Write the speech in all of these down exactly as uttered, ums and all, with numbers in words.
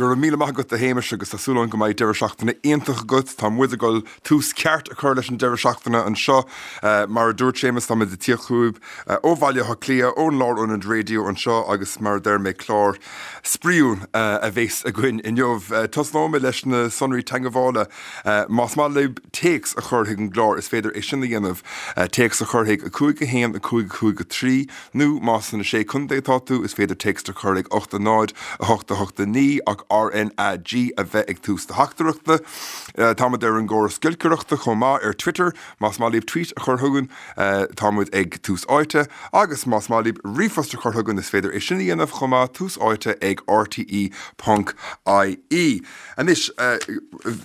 Go raibh míle maith agat a Shéamais agus tá súil agam go mbeidh deireadh seachtaine iontach agat tá muid ag dul tús ceart a chur leis an deireadh seachtaine anseo uh, mar a dúirt Séamus tá muid ag tíocht chugaibh uh, ó Bhaile Átha Cliath ón Lárionad Raidió anseo agus mar a deir mé clár spraíúil uh, a bheas againn inniu. Uh, Tosnóimid leis na sonraí teagmhála uh, más maith libh téacs a chur chuig an gclár is féidir é sin a dhéanamh uh, téacs a chur chuig a cúig a haon a cúig cúig a trí nó más sna sé chontae atá tú is féidir téacs a chur chuig ocht a náid a hocht a hocht a naoi ach RNAG a bheith ag tús do theachtaireachta. Uh, Táimid ar an gcóras giolcaireachta chomh maith ar Twitter, más maith libh tweet a chur chugainn uh, táimid ag Tús Áite, agus más maith libh ríomhphost a chur chugainn is féidir é sin a dhéanamh chomh maith tús áite ag RTE.ie. Anois uh,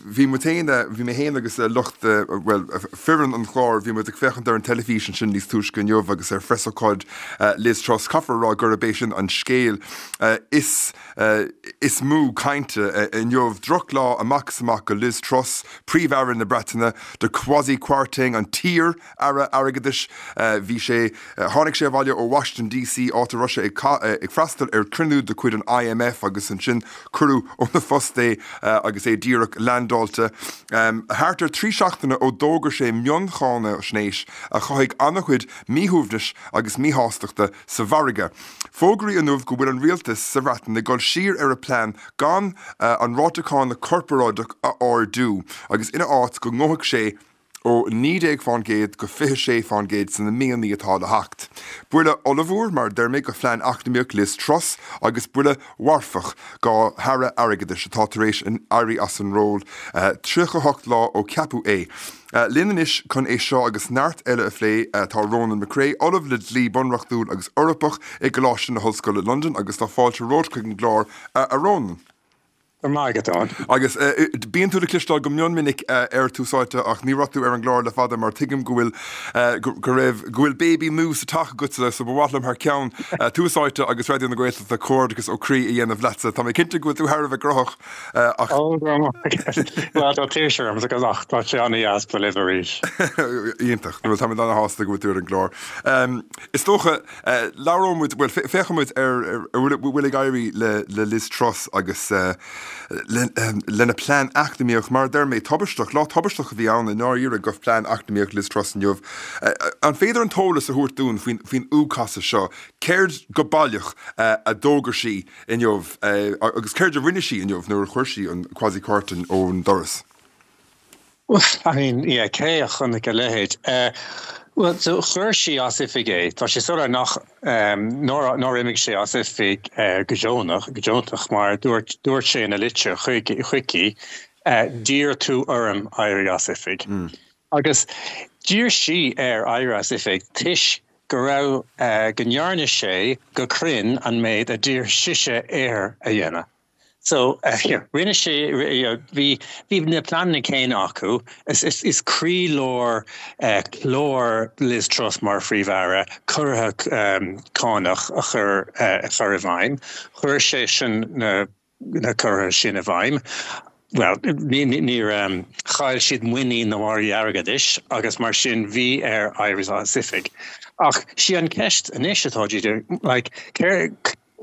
bhí mu bhí mé féin agus lucht well foireann an chláir bhí muid ag féachaint ar an teilifís sin níos túisce inniu agus ar phreasócáid uh, Liz Truss caithfear rá gurb é sin an scéal uh, is uh, is mó cainte uh, inniu drochlá amach is amach go Liz Truss, príomh-aire na Breataine do Kwasi Kwarteng an t-iar-aire airgeadais uh, bhí sé uh, tháinig sé abhaile ó Washington DC áit a raibh sé ag, uh, ag freastal ar chruinniú de chuid an IMF agus ansin cuireadh óna phost é uh, agus é díreach landáilte. Um, Thart ar trí seachtaine ó d'fhógair sé mioncháinaisnéis a chothaigh an-chuid míshuaimhnis agus míshástachta sa mhargadh. Fógraíodh inniu go bhfuil an rialtas sa Bhreatain ag dul siar ar a plean gan uh, an ráta cánach corparáideach a ardú, agus ina áit go ngabhfaidh sé ó naoi déag faoin gcéad go fiche sé faoin gcéad sna míonna atá le theacht. Buille ollmhór mar deir mé go phlean eacnamaíoch Liz Truss agus buille marfach dá haire airgeadais atá tar éis an éirí as an ról uh, tríocha hocht lá ó ceapadh é. Uh, Linn anois chun é seo agus neart eile a phlé uh, tá Ronan McCrea, Ollamh le dlí bunreachtúil agus Eorpach i gColáiste na hOllscoile London agus tá fáilte romhat chuig an gclár uh, a Ronan. Mágad. Agus uh, bíonn tú le cloisteáil go mion minic uh, ar Tús Áite ach ní raibh tú ar an gclár le fada mar tuigim go bhfuil uh, go raibh go bhfuil baby nua sa teach agat so ba mhaith liom thar ceann uh, Tús Áite agus Raidió na Gaeltachta comhghairdeas ó chroí a dhéanamh leatsa. Tá mé cinnte go bhfuil tú thar a bheith gnóthach ach Tá tuirseach agus ach tá sé an-deas bheith libh arís. Iontach, nó tá an-sásta go bhfuil tú ar an gclár. Um, is dócha uh, labhróimid well féachfaimid ar bhfuil ag éirí le, le Liz Truss agus uh, lena plean eacnamaíoch mar deir mé tubaisteach lá tubaisteach a bhí ann i ndáiríre go plean eacnamaíoch Liz Truss inniu. An féidir an t-eolas a thabhairt dúinn faoin faoin úcasadh seo, céard go baileach a d'fhógair sí inniu agus céard a rinne sí inniu nuair a chuir sí an Kwasi Kwarteng ón doras. Well, I mean, yeah, cé a chonaic a leithéid. Uh, Well, so chuir sí as oifig é, Tá sé soiléir nach um, nár imigh sé as oifig uh, go deonach go deontach mar dúirt dúirt sé ina litir chuici uh, d'iarr tú orm éirí as oifig. Mm. Agus d'iarr sí air éirí as oifig toisc go raibh uh, go ndearna sé go cruinn an méid a d'iarr sise air a dhéanamh. So uh, rinne sé bhí bhí na pleananna céanna acu is, is, is croílár uh, chlár Liz Truss mar phríomh-aire ciorruithe um, cánach a chur uh, a chur i bhfeidhm, chuir sé sin na na ciorruithe sin i bhfeidhm. Well, níor um, chaill siad muinín na margaí airgeadais agus mar sin bhí air éirí as oifig. Ach sí an ceist anois atá like,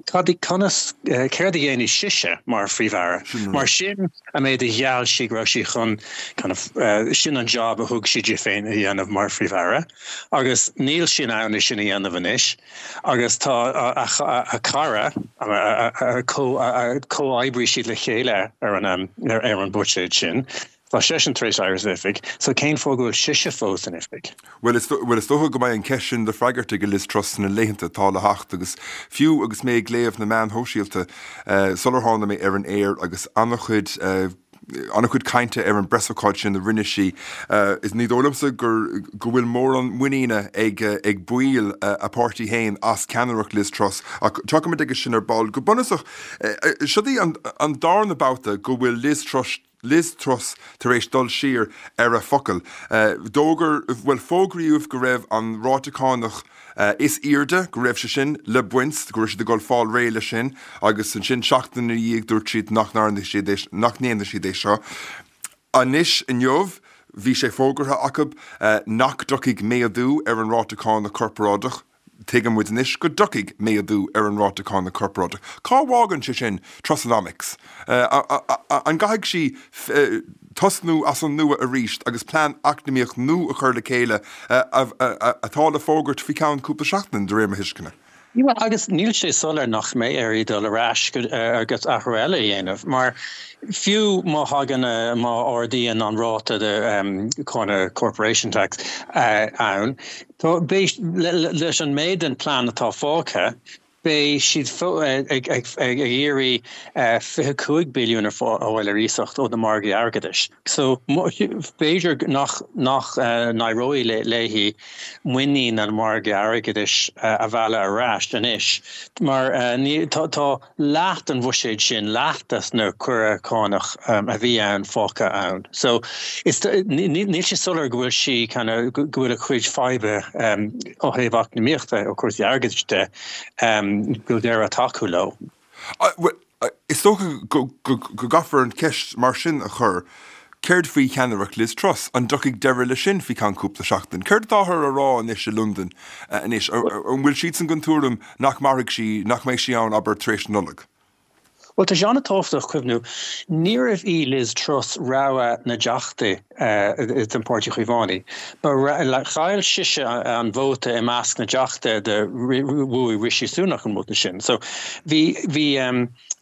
Cad conas céard a dhéanfaidh sise mar phríomh-aire. Mar sin an méid a gheall sí go raibh sí chun kind of, uh, sin an job a thug sí di féin a dhéanamh mar phríomh-aire. Agus níl sí in ann sin a dhéanamh anois, agus tá a, a, a cara a chomhoibrigh siad le chéile ar an, ar, ar an buiséad sin. Tá seisean tar éis éirí as oifig, so cén fáth go bhfuil sise fós in oifig. Well is well is dócha go mbeidh an ceist sin le freagairt ag Liz Truss na laethanta atá le theacht agus fiú agus mé ag léamh na meáin shóisialta uh, sular tháinig mé ar an aer agus an-chuid uh, an-chuid cainte ar an bpreasócáid sin a rinne sí uh, is ní dóigh liomsa gur go bhfuil mórán muiníne ag uh, ag baill uh, a páirtí féin as ceannaireacht Liz Truss ach tiocfaimid aige sin ar ball go bunúsach uh, seo í an, an darna babhta go bhfuil Liz Truss Liz Truss tar éis dul siar ar a focal. Uh, D'fhógair well fógraíodh go raibh an ráta cánach uh, is airde go raibh sé sin le baint go raibh siad ag dul fáil réidh le sin agus ansin seachtain ina dhiaidh dúirt siad nach nach ndéanfaidh siad é seo. Anois inniu bhí sé fógartha acu uh, nach dtiocfaidh méadú ar an ráta cánach corparáideach. Tuigeann muid anois go dtiocfaidh méadú ar an ráta cánach corparáideach. Cá bhfágann sé sin Trussonomics? An gcaithfidh sí tosnú as an nua arís agus plean eacnamaíoch nua a chur le chéile atá le fógairt faoi cheann cúpla seachtain, de réir mo thuisceana? Bhuel, agus níl sé soiléir nach mbeidh uirthi dul ar ais agus athrú eile a dhéanamh, mar fiú má thagann, má ardaíonn an ráta de cáin corporation tax ann, tá, beidh, leis an méid den plean atá fágtha, beidh siad ag iarraidh fiche cúig billiún a fháil ar iasacht ó na margaí airgeadais. So, b'fhéidir nach nach n-éireoidh léi muinín an mhargaidh airgeadais a mhealladh ar ais anois, mar tá leath den bhuiséad sin, leath des na cuireadh cánach a bhí ann fágtha ann. So, is níl sé soiléir go bhfuil sí kind of go bhfuil a cuid faidhbe ó thaobh eacnamaíochta, ó chúrsaí airgeadais de, go bhfuil deireadh tagtha leo. Bhuel, is dócha go gcaithfear an cheist mar sin a chur, céard faoi cheannaireacht Liz Truss? An dtiocfaidh deireadh leis sin faoi cheann cúpla seachtain? Céard atáthar a rá anois i Londain anois? An bhfuil siadsan den tuairim nach mairfidh sí, nach mbeidh sí ann, abair, tar éis na Nollag? Bhuel, tá sé an-tábhachtach cuimhniú, níorbh í Liz Truss rogha na dTeachtaí den Pháirtí Chaomhánaigh. Ba chaill sise an vóta i measc na dTeachtaí de bhuaigh Rishi Sunak an vóta sin. So bhí bhí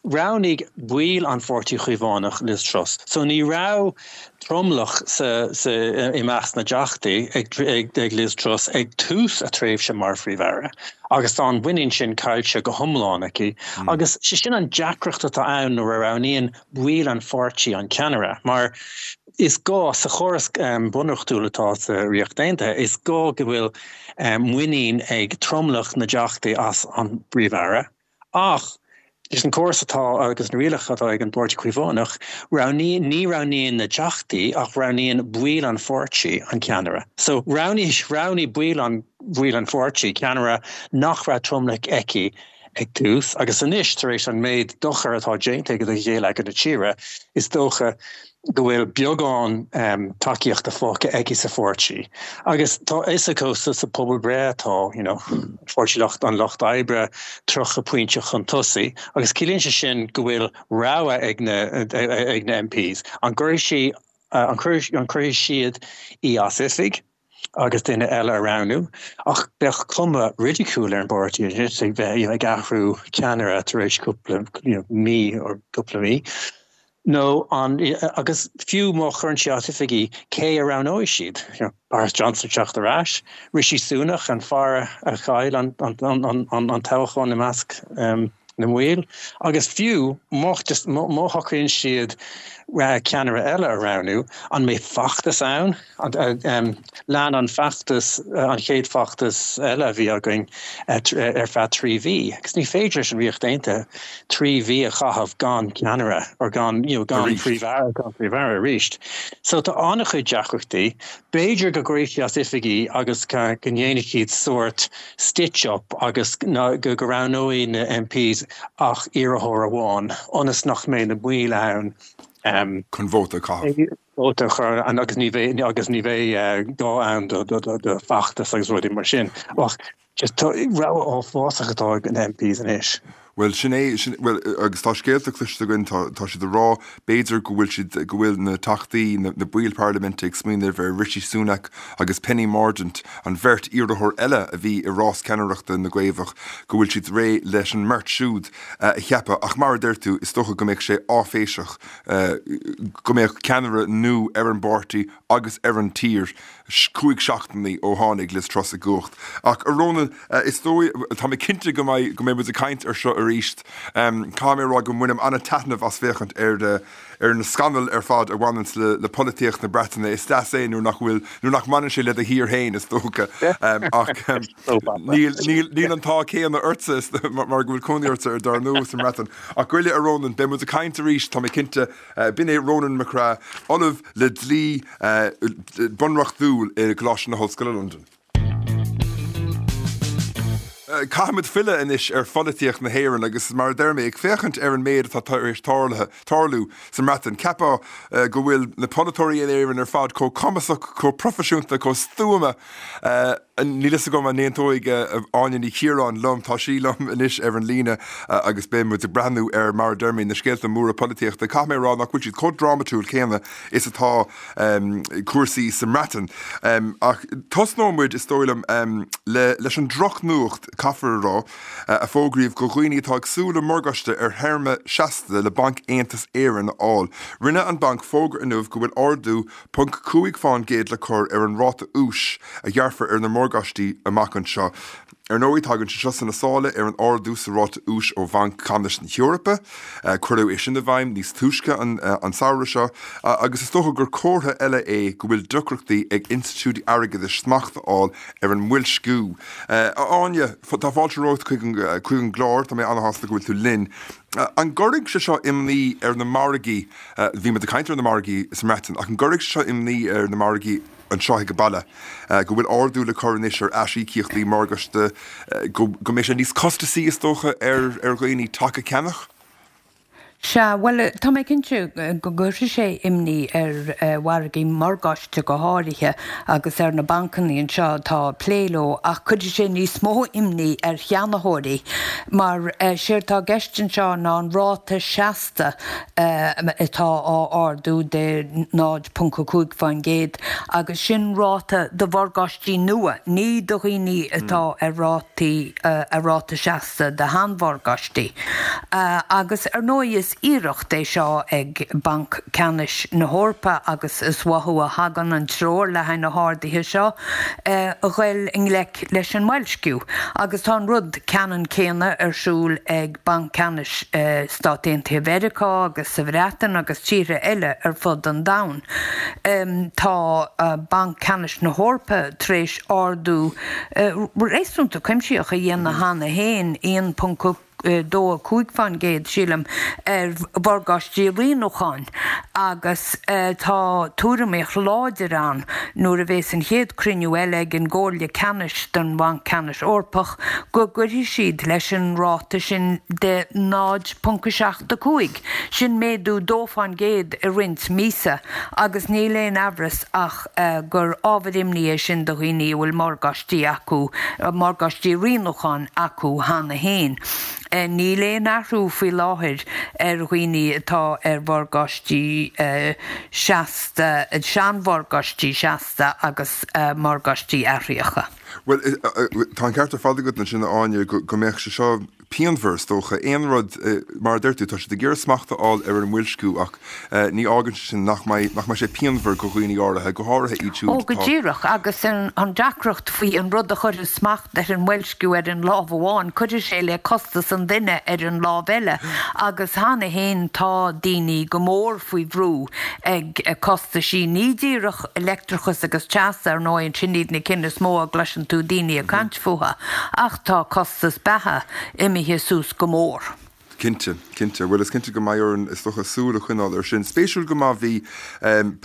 roghnaigh baill an Pháirtí Chaomhánach Liz Truss. So ní raibh tromlach sa sa i measc na dTeachtaí ag ag ag Liz Truss ag tús a tréimhse mar Phríomh-Aire. Agus tá an mhuinín sin caillte go hiomlán aici. Agus sé sin an deacracht atá ann nuair a roghnaíonn baill an pháirtí an ceannaire, mar is gá, sa chóras bunreachtúil atá sa Ríocht Aontaithe, is gá go bhfuil muinín ag tromlach na dteachtaí as an bPríomh-Aire. Ach leis an córas atá agus na rialacha atá ag an bPáirtí Caomhánach, roghnaíonn, ní roghnaíonn na teachtaí ach roghnaíonn baill an pháirtí an ceannaire. So roghnaigh, roghnaigh baill an, baill an pháirtí ceannaire nach raibh tromlach aici ag tús agus anois tar éis an méid dochair atá déanta do gheilleagar na tíre, is dócha go bhfuil beagán tacaíochta fágtha aici sa pháirtí. Agus tá a fhios acu sa pobalbhreith tá, you know, Páirtí Lucht an Lucht Oibre tríocha pointe chun tosaigh agus ciallaíonn sé sin go bhfuil rogha ag na ag na M Ps. An gcuirfidh sí an gcuirfidh siad í as oifig agus duine eile a roghnú, ach bheadh cuma ridicule ar an bpáirtí anois ag bheith ag athrú ceannaire tar éis cúpla you know, mí or cúpla mí. Nó an agus fiú má chuireann sí as oifig í, cé a roghnóidh siad? You know, Boris Johnson teacht ar ais, Rishi Sunak an fear a chaill an, an, an, an, an toghchán i measc um, na mbaill, agus fiú má má shocraíonn siad ceannaire eile a roghnú, an mbeidh feachtas ann? Um, lean an feachtas an chéad feachtas eile a bhí againn ar feadh trí mhí. Agus ní féidir leis an Ríocht Aontaithe trí mhí a chaitheamh gan ceannaire or gan you know, gan príomh-aire gan príomh-aire arís. So tá an-chuid deacrachtaí, b'fhéidir go gcuirfidh sí as oifig í agus go ndéanfaidh siad sórt stitch up agus go go roghnóidh na M Ps ach iarrthóir amháin, ionas nach mbeidh na baill ann um, chun vóta a vóta chur an agus ní bheidh agus ní bheidh gá ann do do do do feachtas agus rudaí mar sin. Ach just rogha uafásach atá ag na M Ps anois. Well sin é sin well agus tá scéalta cloiste againn tá tá siad ag rá b'fhéidir go bhfuil siad go bhfuil na teachtaí na, na baill parlaiminte ag smaoineamh ar Rishi Sunak agus Penny Mordaunt an bheirt iarrthóir eile a bhí i rás ceannaireachta na gCaomhach go bhfuil siad réidh leis an mbeirt siúd uh, a cheapadh ach mar a deir tú is dócha go mbeadh sé áiféiseach uh, go mbeadh ceannaire nua ar an bpáirtí agus ar an tír cúig seachtainí ó tháinig Liz Truss i gcumhacht. Ach a Ronan uh, is dóigh tá mé cinnte go mbeidh go mbeidh muid ag caint ar seo arís. Um, Tá mé rá go mbainim an-taitneamh as féachaint ar de ar na scannail ar fad a bhaineann le, le polaitíocht na Breataine is deas é nuair nach bhfuil nuair nach mbaineann sé le do thír féin is dócha um, ach um, níl níl an t-ádh céanna ortsa mar go bhfuil cónaí ortsa ar dar ndóigh sa mBreatain. Ach goile a Ronan beidh muid ag caint arís tá mé cinnte uh, b'in é Ronan McCraith ollamh le dlí uh, bunreachtúil i gColáiste na hOllscoile London. Caithfimid filleadh anois ar pholaitíocht na hÉireann agus mar deir mé ag féachaint ar an méid atá éis tarlú sa mBreatain. Ceapadh go bhfuil na polaiteoirí in Éirinn ar fad chomh cumasach chomh proifisiúnta chomh stuama Níl fhios agam an n-aontóidh Áine Ní Chiaráin liom, tá sí liom anois ar an líne agus beidh muid ag breathnú ar, mar a deir mé, na scéalta móra polaitíochta. Caithfidh mé a rá nach bhfuil siad chomh drámatúil céanna is atá cúrsaí sa mBreatain. Ach tosnóidh muid, is dóigh liom, leis an drochnuacht, caithfear a rá, a fógraíodh do dhaoine atá ag súil le morgáiste ar théarma seasta le Banc Aontas Éireann a fháil. Rinne an banc fógra inniu go bhfuil ardú ponc cúig faoin gcéad le cur ar an ráta úis a ghearrfar ar na morgáistí amach anseo. Ar ndóigh, tagann sé seo sna sála ar an ardú sa ráta úis ó Bhanc Ceannais na hEorpa. Cuireadh é sin i bhfeidhm níos túisce an an samhradh seo, agus is dócha gur comhartha eile é go bhfuil deacrachtaí ag institiúidí airgeadais smacht a fháil ar an mboilsciú. A Áine, tá fáilte romhat chuig an chuig an gclár, tá mé an-shásta go bhfuil tú linn. An gcuirfidh sé seo imní ar na margaí, bhí muid ag caint ar na margaí sa mBreatain, ach an gcuirfidh sé seo imní ar na margaí anseo ag an baile, go bhfuil ardú le cur anois ar aisíocaíochtaí morgáiste, go go mbeidh sé níos costasaí is dócha ar ar dhaoine teach a cheannach? Sea, bhuel, tá mé cinnte go gcuirfidh sé imní ar mhargaí morgáiste go háirithe agus ar na bancanna anseo atá ag plé leo, ach cuirfidh sé níos mó imní ar cheannaitheoirí mar séard atá i gceist anseo ná an ráta seasta atá á ardú de náid ponc a cúig faoin gcéad agus sin ráta do mhorgáistí nua, ní do dhaoine atá ar rátaí ar ráta seasta do sheanmhorgáistí. Agus ar ndóigh is iarracht é seo ag Banc Ceannais na hEorpa agus is uathu a thagann an treoir le haghaidh na harduithe seo a ghoil i ngleic leis an mboilsciú. Agus tá an rud ceannann céanna ar siúl ag Banc Ceannais Stát Aontaithe Mheiriceá agus sa Bhreatain agus tíortha eile ar fud an domhain. Tá Banc Ceannais na hEorpa tar éis ardú réasúnta cuimsitheach a dhéanamh cheana féin, aon ponc dó a cúig faoin gcéad, sílim, ar mhorgáistí rianúcháin agus tá tuairimíocht láidir ann nuair a bheas an chéad cruinniú eile ag an gComhairle Ceannais don Bhanc Ceannais Eorpach go gcuirfidh siad leis an ráta sin de náid ponc a seacht a cúig. Sin méadú dó faoin gcéad i roinnt míosa agus níl aon amhras ach gur ábhar imní é sin do dhaoine a bhfuil morgáistí acu, morgáistí rianúcháin acu cheana féin. Níl aon athrú faoi láthair ar dhaoine atá ar mhorgáistí seasta, seanmhorgáistí seasta agus morgáistí athraitheacha. Bhuel, tá an ceart ar fad agat ansin, a Áine, go mbeadh sé seo pianmhar, is dócha. Aon rud, mar a deir tú, tá siad ag iarraidh smacht a fháil ar an mboilsciú ach ní fhágann sé sin nach mbeidh, nach mbeidh sé pianmhar do dhaoine áirithe, go háirithe iad siúd Ó, go atá. díreach, agus an deacracht faoi an rud a chuirfeadh smacht ar an mboilsciú ar an lámh amháin, cuirfidh sé le costas an duine ar an lámh eile agus cheana féin tá daoine go mór faoi bhrú ag costaisí, ní díreach leictreachas agus teas, ar ndóigh, sin iad na cinn is mó a gcloiseann tú daoine ag caint fúthu, ach tá costas beatha imithe suas go mór. Cinnte, cinnte. Bhuel, is cinnte go mbeidh orainn, is dócha, súil a choinneáil air sin. Spéisiúil go maith bhí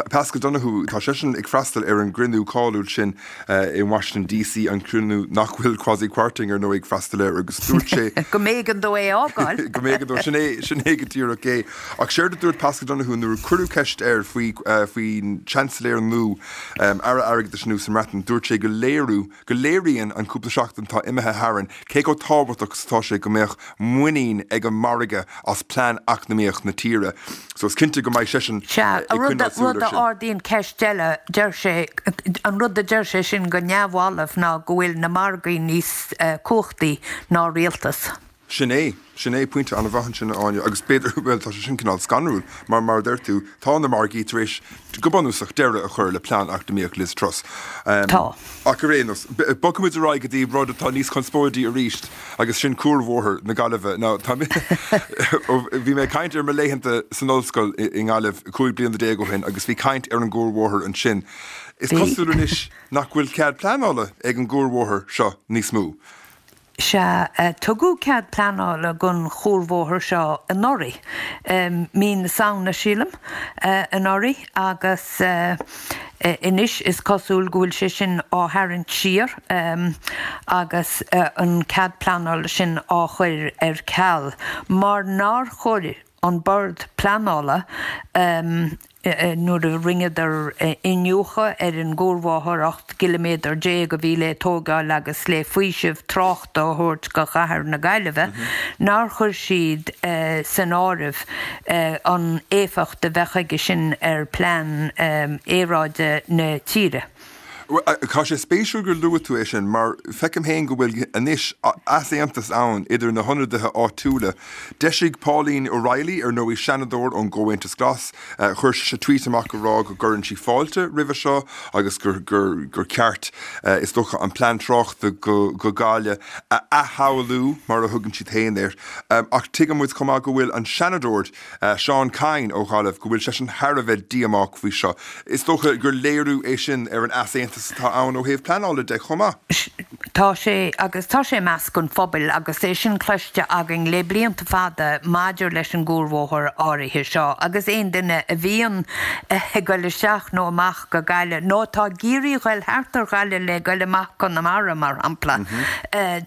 Paschal Donohoe, tá seisean ag freastal ar an gcruinniú cáiliúil sin i Washington D C, an cruinniú nach bhfuil Kwasi Kwarteng ar ndóigh ag freastal air, agus dúirt sé go mb'éigean dó é a fhágáil. Go mb'éigean dó, sin é, sin é go díreach é. Ach séard a dúirt Paschal Donohoe nuair a cuireadh ceist air faoi faoin Chancellor nua, Aire Airgeadais nua sa mBreatain, dúirt sé go léiriú, go léiríonn an cúpla seachtain atá imithe tharainn cé chomh tábhachtach is atá sé go mbeadh muinín ag an margadh as plean eacnamaíoch na tíre. So is cinnte go mbeidh seisean Sea, ag rud coinneáil súil rud air a sin. ardaíonn ceist eile, deir sé, an rud a deir sé sin go neamhbhalbh ná go bhfuil na margaí níos cumhachtaí ná rialtas. Sin é, sin é, pointe an-mhaith ansin, a Áine, agus b'fhéidir, bhuel, tá sé sin cineál scanrúil, mar mar a deir tú, tá na margaí tar éis, go bunúsach, deireadh a chur le plean eacnamaíoch Liz Truss. Tá. Ach ar aon nós, bogfaimid ar aghaidh go dtí rud atá níos conspóidí arís, agus sin cuarbhóthar na Gaillimhe. Now, tá mé, bhí mé ag caint ar mo laethanta san ollscoil i nGaillimh cúig bliana déag ó shin agus bhí caint ar an gcuarbhóthar ansin. Is Bhí. cosúil anois nach bhfuil cead pleanála ag an gcuarbhóthar seo níos mó. Sea, tugadh cead pleanála don chuarbhóthar seo anuraidh, mí na Samhna, sílim, anuraidh, agus anois is cosúil go bhfuil sé sin á tharraingt siar agus an cead pleanála sin á chur ar ceal mar nár chuir an Bord Pleanála nuair a rinneadar iniúchadh ar an gcuarbhóthar ocht gciliméadar déag a bhí le tógáil agus le faoiseamh tráchta a thabhairt go chathair na Gaillimhe, nár chuir siad san áireamh an éifeacht a bheadh aige sin ar plean aeráide na tíre. Tá sé spéisiúil gur luaigh tú é sin mar feicim féin go bhfuil anois easaontas ann idir na hionadaithe áitiúla. D'eisigh Pauline O'Reilly, ar ndóigh Seanadóir ón gComhaontas Glas, chuir sise tweet amach ag rá go gcuireann sí fáilte roimhe seo agus gur gur ceart is dócha an plean tráchta go go Gaillimh a athshamhlú mar a thugann siad féin air. Ach tuigeann muid chomh maith go bhfuil an Seanadóir Seán Kyne ó Ghaillimh go bhfuil seisean thar a bheith díomách faoi seo. Is dócha gur léiriú é sin ar an easaontas atá ann ó thaobh pleanála de chomh maith. Tá sé agus tá sé i measc an phobail agus é sin cloiste againn le blianta fada maidir leis an gcuarbhóthar áirithe seo agus aon duine a bhíonn ag goil isteach nó amach go Gaillimh nó atá ag iarraidh goil thart ar Ghaillimh le goil amach Conamara mar shampla,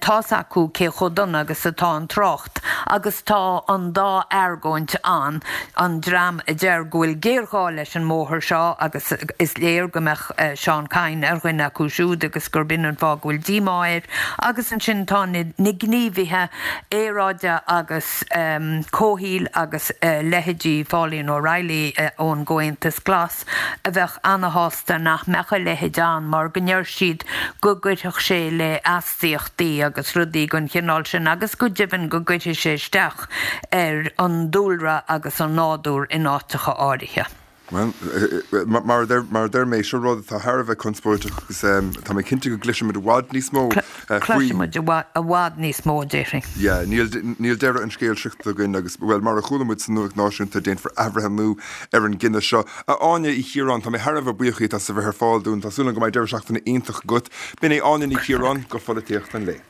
tá's acu cé chomh dona agus atá an trácht agus tá an dá argóint ann, an dream a deir go bhfuil géarghá leis an mbóthar seo agus is léir go mbeadh Seán Kyne ar dhuine acu siúd agus gurb in an fáth go bhfuil díomá air agus ansin tá na gníomhaithe aeráide agus comhshaoil agus leithéidí Pauline O'Reilly ón gComhaontas Glas a bheadh ana-shásta nach mbeadh a leithéid ann mar go ndeir siad go gcuirfeadh sé le astaíochtaí agus rudaí den chineál sin agus go deimhin go gcuirfidh sé isteach ar an dúlra agus an nádúr in áiteacha áirithe. Bhuel, mar a deir mé, seo rud atá thar a bheith conspóideach agus tá mé cinnte go gcloisfimid i bhfad níos mó faoi. Cloisfimid i bhfad níos mó, déarfainn. Yeah, níl níl deireadh an scéil sroichte againn agus, bhuel, mar a chuala muid sa nuacht náisiúnta, déanfar athbhreithniú ar an gcinneadh seo. A Áine Uí Chiaráin, tá mé thar a bheith buíoch díot as a bheith ar fáil dúinn. Tá súil agam go mbeidh deireadh seachtaine iontach agat. B'in é Áine Ní Chiaráin go Pholaitíocht an Lae.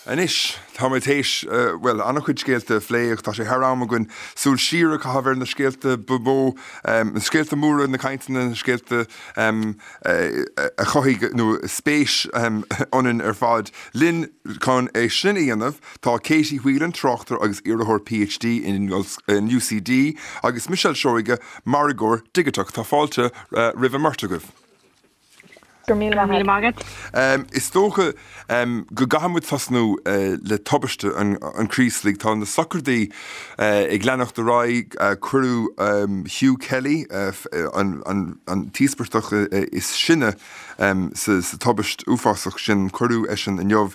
Anois, tá muid théis, bhuel, an-chuid scéalta a phlé ach tá sé thar am againn súil siar a chaitheamh ar na scéalta ba mhó, na scéalta móra, na cainteanna, na scéalta a chothaigh nó spéis ionainn ar fad. Linn chun é sin a dhéanamh tá Katie Whelan, tráchtaire agus iarrthóir PhD in UCD, agus Michelle Seoige, margóir digiteach. Tá fáilte roimh an mbeirt agaibh. Go raibh míle maith agat. Is dócha go gcaithfidh muid tosnú le tubaiste an Chraoslaigh. Tá na sochraidí ag leanacht ar aghaidh. Cuireadh Hugh Kelly, an t-íospartach is sine sa tubaist uafásach sin, cuireadh eisean inniu.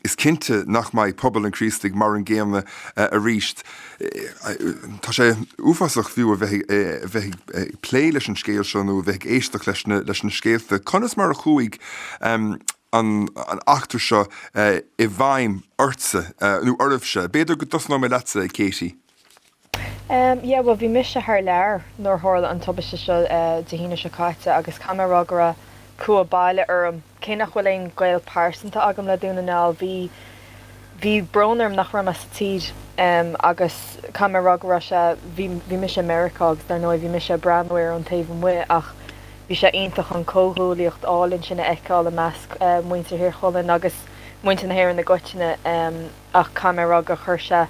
Is cinnte nach mbeidh pobal an Chraoslaigh mar an gcéanna arís. Tá sé uafásach fiú a bheith a bheith ag plé leis an scéal seo nó a bheith ag éisteacht leis na leis na scéalta. Conas mar a chuaigh an an eachtra seo i bhfeidhm ortsa nó oraibhse? B'fhéidir go dtosnóidh mé leatsa, Katie. Um, yeah, well bhí mise thar lear nuair tharla an tubaiste seo Dé hAoine seo caite agus caithfidh mé a rá go raibh cumha baile orm. Cé nach bhfuil aon ghaol pearsanta agam le Dún na nGall, bhí bhí brón orm nach raibh mé sa tír agus caithfidh mé a rá go raibh sé, bhí bhí mise i Meiriceá agus dar ndóigh bhí mise ag breathnú air ón taobh amuigh ach bhí sé iontach an comhghuaillíocht álainn sin a fheiceáil i measc muintir Thír Chonaill agus muintir na hÉireann i gcoitinne ach caithfidh mé a rá gur chuir sé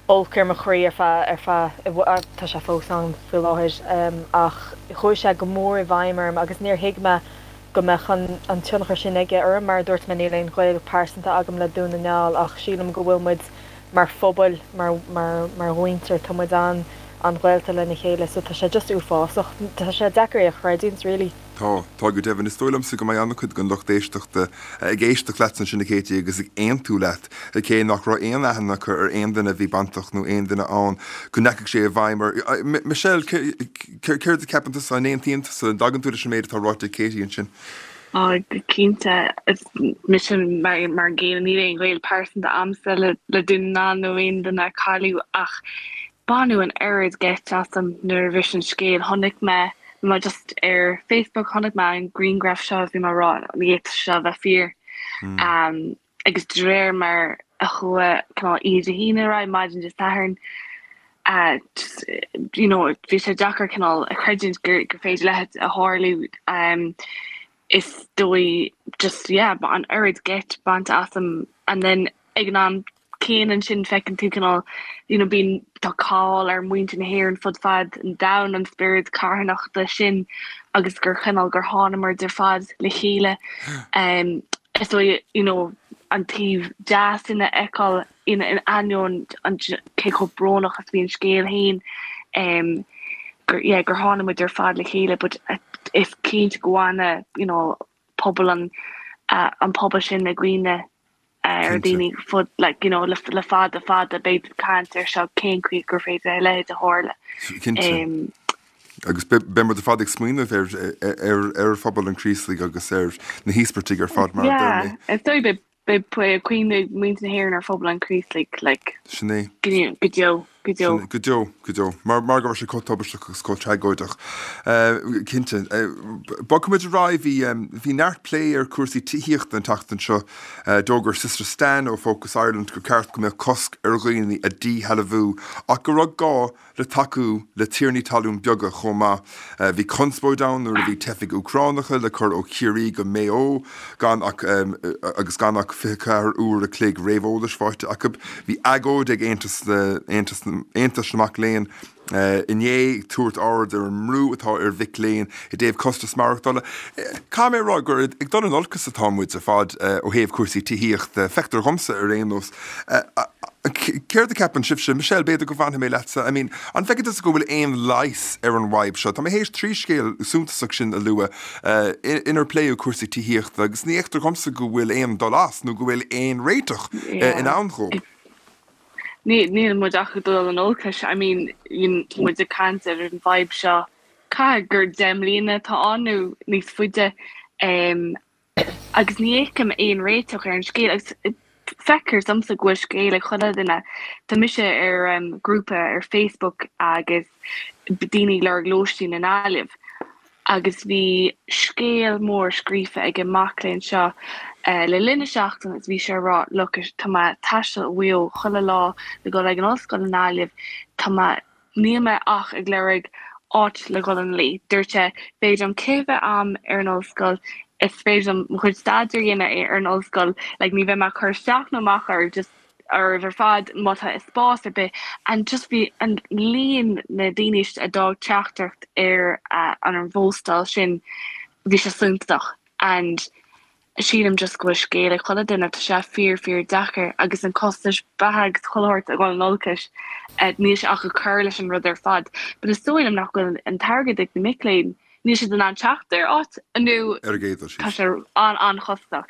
olc ar mo chroí ar feadh, ar feadh, tá sé fós ann faoi láthair ach chuaigh sé go mór i bhfeidhm orm agus níor thuig mé go mbeadh an, an tionchar sin aige orm. Mar a dúirt mé níl aon ghaol pearsanta agam le Dún na nGall ach sílim go bhfuil muid mar phobal, mar, mar, mar mhuintir, tá muid an, an-ghaolta lena chéile so tá sé just uafásach. Tá sé deacair é a chreidiúint really. Tá, tá go deimhin. Is dóigh liomsa go mbeidh an-chuid den lucht éisteachta ag éisteacht leat ansin a Katie agus ag aontú leat, cé nach raibh aon aithne acu ar aon duine a bhí bainteach nó aon duine ann go ndeachaigh sé i bhfeidhm ar. Michelle, céard a cheapann tusa? An aontaíonn tusa? An dtagann tú leis an méid atá ráite ag Katie ansin? Á, go cinnte. Mise mar an gcéanna, níl aon ghaol pearsanta a'msa le Dún na nGall nó aon duine a cailleadh ach Baineadh an oiread geit asam nuair a bhris an scéal. Chonaic mé, bhí mé just ar Facebook, chonaic mé an grianghraf seo agus bhí mé ag rá, ní fhéadfadh seo a bheith fíor. Agus de réir mar a chuaigh cineál oíche Dé hAoine ar aghaidh, maidin Dé Sathairn, just, you know, bhí sé deacair cineál a chreidiúint gur gur féidir a leithéid a tharlú. Is dóigh just, yeah, an oiread geit bainte asam and then ag an am céanna ansin feiceann tú cineál you know bíonn tá cáil ar muintir na hÉireann fud fad an domhain an spiorad carthanachta sin agus gur chineál gur thánamar ar fad le chéile um, is dóigh you know an taobh deas sin a fheiceáil in in ainneoin an cé chomh brónach is bhí an scéal féin um, gur yeah, gur tháinig muid ar fad le chéile but uh, is cinnte go bhfanfaidh you know pobal an uh, an pobal sin i gcuimhne ar daoine fud like you know le, le fada fada beidh caint ar seo cén chaoi gur féidir le a tharla. Um, agus beimid ar fad ag smaoineamh ar ar ar phobal an Chraoslaigh agus ar na híospartaigh ar fad mar yeah, is dóigh beidh cuimhne muintir na hÉireann ar phobal an Chraoslaigh like Sin é. go deo go deo. Go deo go deo mar mar go raibh sé chomh tubaisteach agus chomh tragóideach. Cinnte Bogfaimid ar aghaidh bhí bhí neart plé ar cúrsaí tithíochta an tseachtain seo d'fhógair Sister Stan ó Focus Ireland gur ceart go mbeadh cosc ar dhaoine a dhíshealbhú ach go raibh gá le tacú le tiarnaí talún beaga chomh maith. Bhí conspóid ann nuair a bhí teifigh Úcránacha le cur ó Chiarraí go Maigh Eo gan ach agus gan ach fiche ceathair uair a chloig réamheolais faighte acu. Bhí agóid ag Aontas Aontas Aontas na Mac Léinn inné ag tabhairt aird ar an mbrú atá ar mhic léinn i dtaobh costas maireachtála. Caithfidh mé a rá gur ag dul in olcas atá muid ar fad ó thaobh cúrsaí tithíochta, feictear dhomsa ar aon nós. Céard a cheapann sibhse, Michelle, b'fhéidir go bhfanfaidh mé leatsa, I mean, an bhfeiceann tusa go bhfuil aon leigheas ar an bhfadhb seo? Tá mé théis trí scéal suntasach sin a lua inar pléadh cúrsaí tithíochta agus ní fheictear dhomsa go bhfuil aon dul as nó go bhfuil aon réiteach in ann dhó. Níl muid ach ag dul in olcas, I mean, muid ag caint ar an bhfadhb seo caithfidh gur deich mbliana atá ann nó níos faide um, agus ní fheicim aon réiteach ar an scéal agus feictear domsa go bhfuil scéal ag chuile duine. Tá mise ar um, grúpa ar Facebook agus daoine ag lorg lóistín i nGaillimh agus bhí scéal mór scríofa ag an mac léinn seo uh, le linn na seachtaine agus bhí sé ag rá look tá mé ag taisteal ó Mhaigh Eo chuile lá le dul ag an ollscoil i nGaillimh tá mé níl mé ach ag lorg áit le dhul ina luí. Dúirt sé féidir liom cith a bheith agam ar an ollscoil is féidir liom mo chuid staidéir a dhéanamh ar an ollscoil like ní bheidh mé ag cur isteach nó amach oraibh just oraibh ar fad má tá spás ar bith and just bhí an líon na daoine a d'fhág teachtaireacht ar uh, an an phóstáil sin bhí sé suntasach and sílim just go bhfuil scéal ag chuile duine tá sé fíor fíor deacair agus an costas beatha agus chuile shórt ag dul in olcas uh, níl sé ach ag cur leis an rud ar fad. But is dóigh liom nach bhfuil an t-airgead ag na mic léinn níl siad in ann teacht ar áit nó Ar a gcéad dul tá síos. sé an an-chostasach.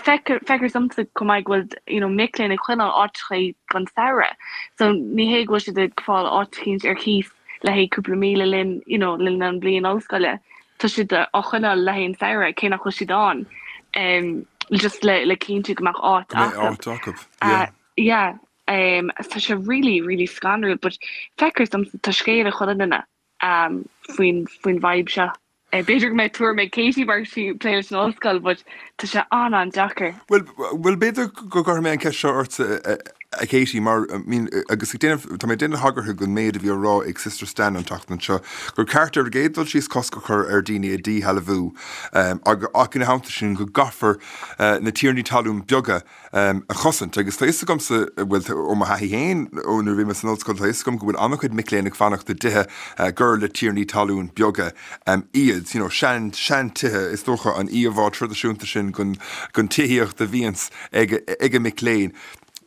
Feictear domsa chomh maith go bhfuil you know, mic léinn ag coinneáil áiteacha don samhradh. So ní hé go bhfuil siad ag fáil áit éicint ar cíos le haghaidh cúpla mí le linn you know, le linn an bhliain ollscoile. Tá siad á choinneáil le haghaidh an samhradh cé nach bhfuil siad ann. Um, just le le cinntiú go mbeadh áit Go mbeidh acu. áit acu. Uh, Yeah. yeah, um, tá sé really, really scanrúil, but feictear domsa tá scéal ag chuile duine um, faoin faoin bhfadhb seo. Eh, B'fhéidir go mbeidh tuairim ag Katie mar sí ag plé leis an ollscoil, but tá sé an an-deacair. Well, well b'fhéidir go gcuirfidh mé an ceist seo ort a, a Katie mar I mean, agus ag déanamh tá mé déanamh tagartha don méid a bhí á rá ag Sister Stan an tseachtain seo gur ceart ar an gcéad dul síos cosc a chur ar daoine a dhíshealbhú um, ag ach ina theannta sin go gcaithfear uh, na tiarnaí talún beaga um, a chosaint agus tá fhios agamsa bhfuil ó mo thaithí féin ó nuair a bhí mé san ollscoil tá fhios agam go bhfuil an-chuid mic léinn ag fanacht i dtithe uh, gur le tiarnaí talún beaga um, iad you know, sean seantithe is dócha an íomhá traidisiúnta sin den den tithíocht a bhíonns ag ag an mic léinn.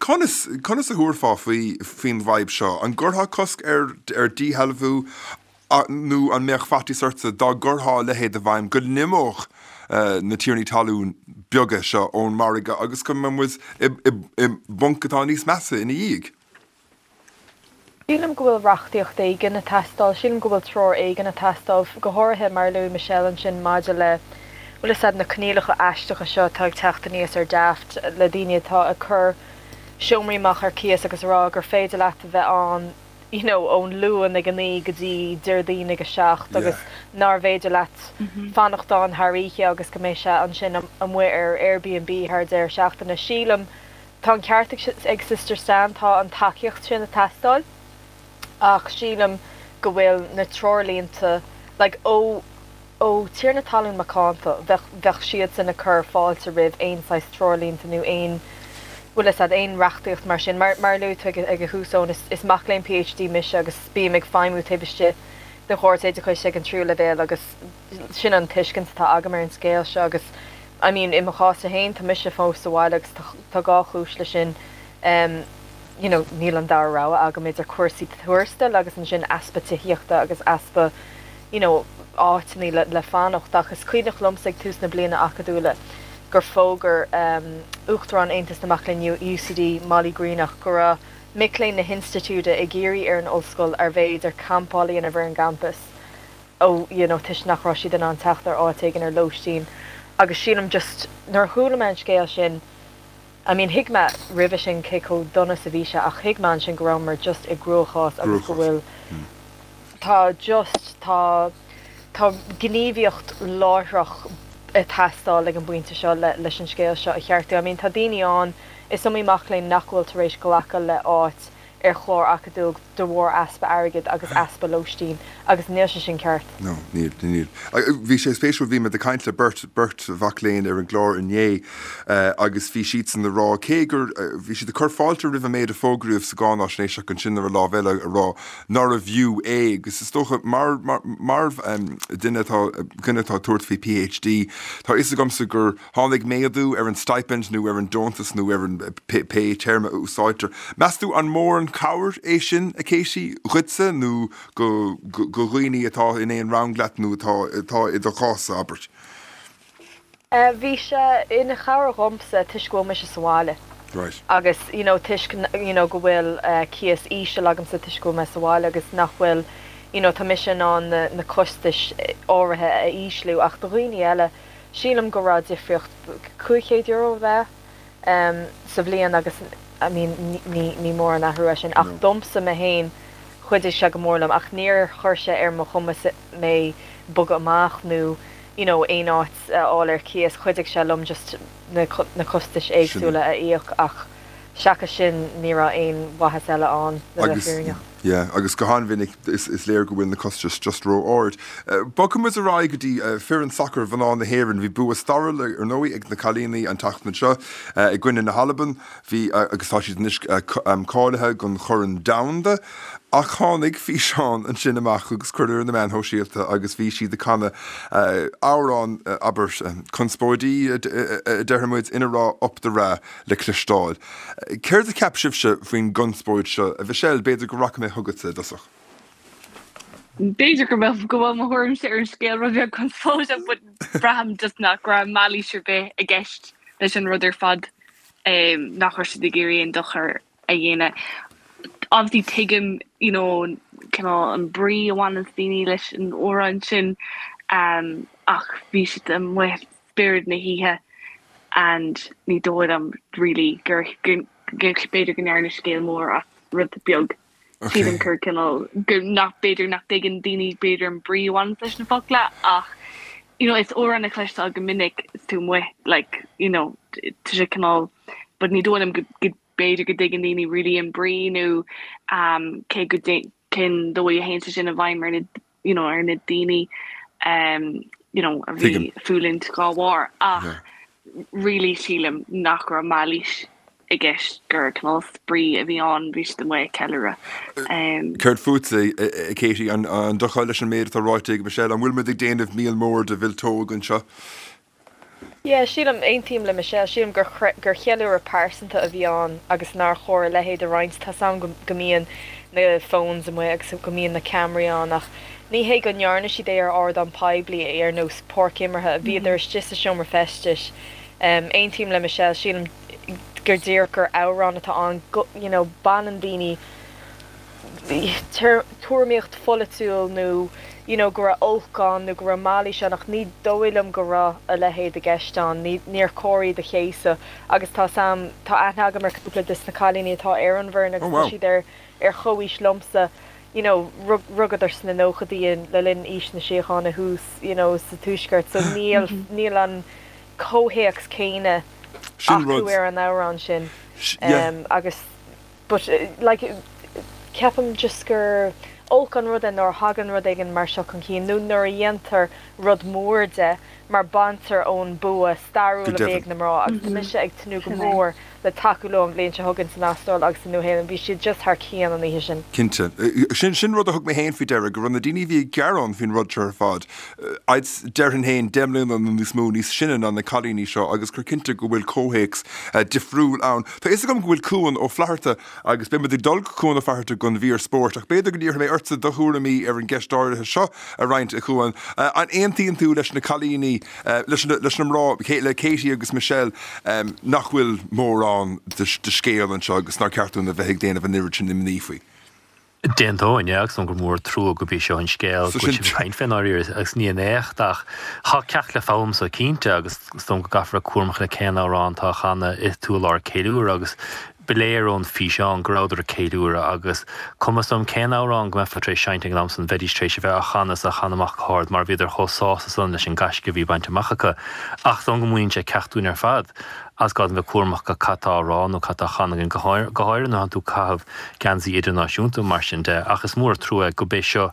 Conas conas a thabharfá faoi faoin bhfadhb seo, an gcuirfeá cosc ar ar díshealbhú nó an mbeadh faitíos ortsa dá gcuirfeá a leithéid i bhfeidhm go n-imeodh uh, na tiarnaí talún beaga seo ón margadh agus go mbeadh muid i, i, i bponc atá níos measa ina dhiaidh. Sílim go bhfuil reachtaíocht éigin ag teastáil, sílim go bhfuil treoir éigin ag teastáil go háirithe mar luaigh Michelle ansin maidir le bhfuil a na coinníollacha aisteacha seo atá ag teacht aníos ar Daft le daoine atá ag cur seomraí amach ar cíos agus rá gur féidir leat a bheith ann you know, ón Luan ag a naoi go dtí Déardaoin ag a seacht agus nár bhféidir leat fanacht ann thar oíche agus go mbeidh sé ansin amuigh ar Airbnb thar deireadh seachtaine. Sílim tá an ceart ag Sister Stan tá an tacaíocht sin ag teastáil ach sílim go bhfuil na treoirlínte like, ó ó tiarna talún macánta bheadh siad sin ag cur fáilte roimh aon saghas treoirlínte nó aon bhfuil bhfuil a fhios agat aon reachtaíocht mar sin. Mar mar a luaigh tú ag ag an thús Eoin, is is mac léinn PhD mise agus bím ag feidhmiú taobh istigh den chóras oideachais ag an tríú leibhéal agus sin an tuiscint atá agam ar an scéal seo agus I mean i mo chás féin tá mise fós sa bhaile agus tá tá dhá chúis leis sin um, you know, níl an dara rogha agam idir cúrsaí tuarastail agus ansin easpa tithíochta agus easpa you know, áiteanna le, le fanacht ach is cuimhneach liomsa ag tús na bliana acadúla gur fógair um, Uachtarán Aontas na Mac Léinn UCD Molly Greenach go raibh mic léinn na hinstitiúide ag iarraidh ar an ollscoil arbh fhéidir campáil a dhéanamh ar an gcampas ó you know, toisc nach raibh siad in ann teacht ar áit éigin ar lóistín agus sílim just nuair a chuala mé an scéal sin I mean thuig mé roimhe sin cé chomh dona is a bhí sé ach thuig mé ansin go rabhamar just i gcruachás agus go bhfuil tá just tá tá gníomhaíocht láithreach ag teastáil ag an bpointe seo le, leis an scéal seo a cheartú. I mean tá daoine ann is iomaí mac léinn nach bhfuil tar éis glacadh le áit ar chlár acadúil de bharr easpa airgid agus easpa lóistín agus níl sé sin ceart. No, níl, níl. Bhí sé spéisiúil bhí mé ag caint le beirt beirt mhac léinn ar an gclár inné uh, agus bhí siad san rá cé gur uh, bhí siad ag cur fáilte roimh an méid a fógraíodh sa gcáinaisnéis ach ansin ar an lámh eile a rá nárbh fhiú é agus is dócha mar mar mar um, duine atá duine atá tabhairt faoi PhD Tá fhios agamsa gur tháinig méadú ar an stipend nó ar an deontas nó ar an pé téarma a úsáidtear. Meas tú an mór an cabhair é sin a Katie dhuitse nó go go go dhaoine atá in aon rang leat nó atá atá i do chás abair. Uh, bhí sé ina chabhair dhomsa toisc go bhfuil mise sa bhaile. Right. agus you know, toisc you know, go bhfuil uh, cíos íseal agamsa toisc go bhfuil mé sa bhaile agus nach bhfuil you know, tá mise in ann na, na costais áirithe a ísliú ach do dhaoine eile sílim go raibh difríocht cúig chéad euro bheith um, sa bhliain agus I mean, ní, ní, ní mór an athrú é sin ach No. domsa mé féin chuidigh sé go mór liom ach níor chuir sé ar mo chumas mé bogadh amach nó you know, aon áit a fháil ar cíos chuidigh sé liom just na, co- na costais éagsúla a íoc ach seachas sin ní raibh aon mhaitheas eile ann le bheith Agus fírinneach. yeah, agus go han-mhinic is, is léir go bhfuil na costais just ró-ard. Uh, Bogfaidh muid ar aghaidh go dtí uh, foireann sacair mhná na hÉireann bhí bua stairiúil ar ndóigh ag na cailíní an tseachtain seo uh, i gcoinne na hAlban bhí uh, agus tá siad anois uh, um, cáilithe don Chorn Domhanda. Ach tháinig físeán ansin amach agus cuireadh ar na meáin shóisialta agus bhí siad ag canadh uh, amhrán uh, abair um, conspóidí uh, déarfaidh muid ina raibh Up the Ra le cloisteáil. Céard a cheap sibhse faoin gconspóid seo a Michelle b'fhéidir go rachaidh mé chugatsa i dtosach. B'fhéidir go bhfuil go bhfuil mo thuairimse ar an scéal rud beag conspóideach, but braithim just nach raibh mailís ar bith i gceist leis an rud ar fad um, nach raibh siad ag iarraidh aon dochar a dhéanamh. Obviously tuigim you know, cineál an brí a bhaineann daoine leis an amhrán sin um, ach bhí siad amuigh spiorad na hoíche and ní dóigh liom really gur gur gur b'fhéidir go ndearnadh scéal mór as rud beag. Sílim gur cineál gur nach b'fhéidir nach dtuigeann daoine b'fhéidir an brí a bhaineann leis na focla ach you know, is amhrán a chloistear go minic is tú amuigh like you know, tá sé cineál but ní dóigh liom go go b'fhéidir go dtuigeann daoine really an brí nó um, cé go cén dóigh a théann sé sin i bhfeidhm ar na you know, ar na daoine um, you know, a bhí Tuigim. fulaingt dá bharr ach Yeah. really sílim nach raibh mailís i gceist gur cineál spraoi a bhí ann bhí siad amuigh ag ceiliúradh. Um, Céard fútsa a Katie an an dtiocfá leis an méid atá ráite ag Michelle an bhfuil muid ag déanamh míol mór de mhilteog anseo. Yeah, sílim aontaím le Michelle sílim gur gur cheiliúradh pearsanta a bhí ann agus nár chóir a leithéid a roinnt tá sam go go mbíonn na phones amuigh agus go mbíonn na ceamaraí ann ach ní hé go ndearna siad é ar ardán poiblí ar nós páirc imeartha a bhíodar istigh sa seomra feistis. Um, aontaím le Michelle sílim gur díreach gur amhrán atá ann go, you know, baineann daoine tuairimíocht pholaitiúil nó you know, go raibh olc ann nó go raibh mailís ann ach ní dóigh liom go raibh a leithéid i gceist ann, ní níor chóir iad a chéasadh agus tá sam tá aithne agam ar cúpla de na cailíní atá ar an bhfoireann agus Oh, tá wow. siad ar ar chomhaois liomsa you know, rug rugadar sna nóchaidí le linn aois na síochána thuas you know, sa tuaisceart, so níl níl an comhthéacs céanna Sin acu rud. ar an amhrán sin. Sh- yeah. Um, agus but uh, like ceapaim just gur olc an rud é nuair a thagann rud éigin mar seo chun cinn nó nuair a dhéantar rud mór de mar baintear ón bua stairiúil a bhí ag na mná agus tá mise ag tnúth go mór le tacú leo an bhliain seo chugainn san Astráil agus sa Nua-Shéalainn. Bhí siad just thar cionn an oíche sin. Cinnte. Sin sin rud a thug mé féin faoi deara, go raibh na daoine a bhí ag gearán faoin rud seo ar fad, I'd déarfainn féin, deich mbliana nó níos mó níos sine ná na cailíní seo agus gur cinnte go bhfuil comhthéacs difriúil ann. Tá fhios agam go bhfuil Cuan Ó Flatharta agus beidh muid ag dul go Cuan Ó Flatharta don mhír spóirt ach b'fhéidir go n-iarrfaidh mé ortsa do thuairimí ar an gceist áirithe seo a roinnt, a Chuan. An aontaíonn tú leis na cailíní, leis na mná, le Katie agus Michelle, nach bhfuil mórán de scéal anseo agus nár cheart dúinn a bheith ag déanamh an oiread sin imní faoi? D'aontóinn, yeah, agus gur mór trua gurb é seo an scéal go bhfuil sibh ag caint fé ndáiríre agus ní an éacht ach tá ceacht le foghlaim so cinnte agus is dóigh go gcaithfear a bheith cúramach le cén amhrán atá á chanadh is tú i lár ceiliúradh agus Ba léir ón físeán go rabhadar ag ceiliúradh agus cuma is dóigh liom cén amhrán go mbeifeá tar éis seinnt ag an am san, bheidís tar éis a bheith á chanadh is á chanadh amach go hard mar bhíodar chomh sásta san leis an gaisce a bhí bainte amach acu. Ach is dóigh liom go múineann sé ceacht dúinn ar fad agus gá dúinn bheith cúramach go cad tá á rá nó cad tá á chanadh againn, go háirithe nuair atánn tú ag caitheamh geansaí idirnáisiúnta mar sin de. Ach is mór an trua é gurb é seo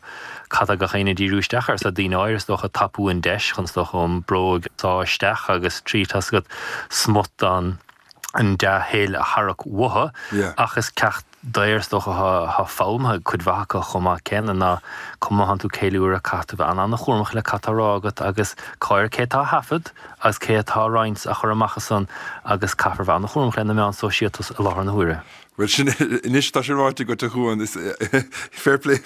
cad tá gach éinne ag díriú isteach air. Is tá daoine áirithe is dócha ag tapú an deis chun is dócha an bróg a shá isteach agus trí tá 's agat smut an an dea-thoil a tharrac uathu, ach is ceacht daor is dócha atá foghlamtha ag cuid mhaith acu chomh maith céanna ná cuma má thánn tú ag ceiliúradh caithfidh tú bheith an-an-chúramach le cad tá á rá agat agus cá cé atá á thaifead agus cé atá á roinnt á chur amach ansan agus caithfear bheith an-chúramach le na meáin sóisialta i láthair na huaire. Bhuel sin, anois tá sé ráite agat a Chuan, is fair play,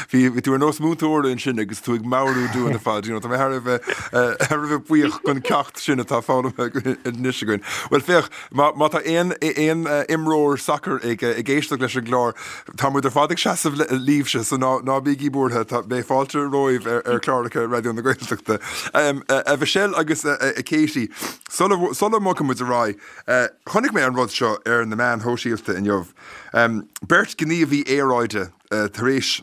bhí tú ar nós múinteora ansin agus tú ag meabhrú dúinn ar fad, you know, tá mé thar a bheith, thar a bheith buíoch don ceacht sin atá foghlamtha anois againn. Bhuel féach, má, má tá aon, aon imreoir sacair ag, ag éisteacht leis an gclár, tá muid ar fad ag seasamh libhse, so ná, ná bígí buartha, tá, beidh fáilte romhaibh ar, ar chláracha Raidió na Gaeltachta. A Mhichelle agus a, a Katie, sula, sula mbogfaidh muid ar aghaidh, Chonaic mé an rud seo ar na meáin shóisialta inniu. Beirt ghníomhaí aeráide tar éis,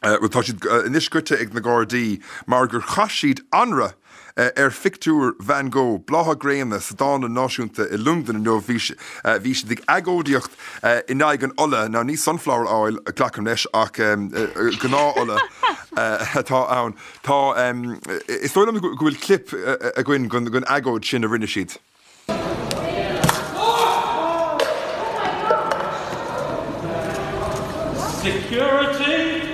bhuel tá siad anois goite ag na Gardaí mar gur chaith siad anraith ar phictiúr Van Gogh, Blátha Gréine, sa Dánlann Náisiúnta i Londain inniu. Bhí bhí siad ag agóidíocht in aghaidh an ola, now ní sunflower oil, glacaim leis, ach gnáth-ola atá ann. Tá, is dóigh liom go bhfuil clip againn den agóid sin a rinne siad. Security!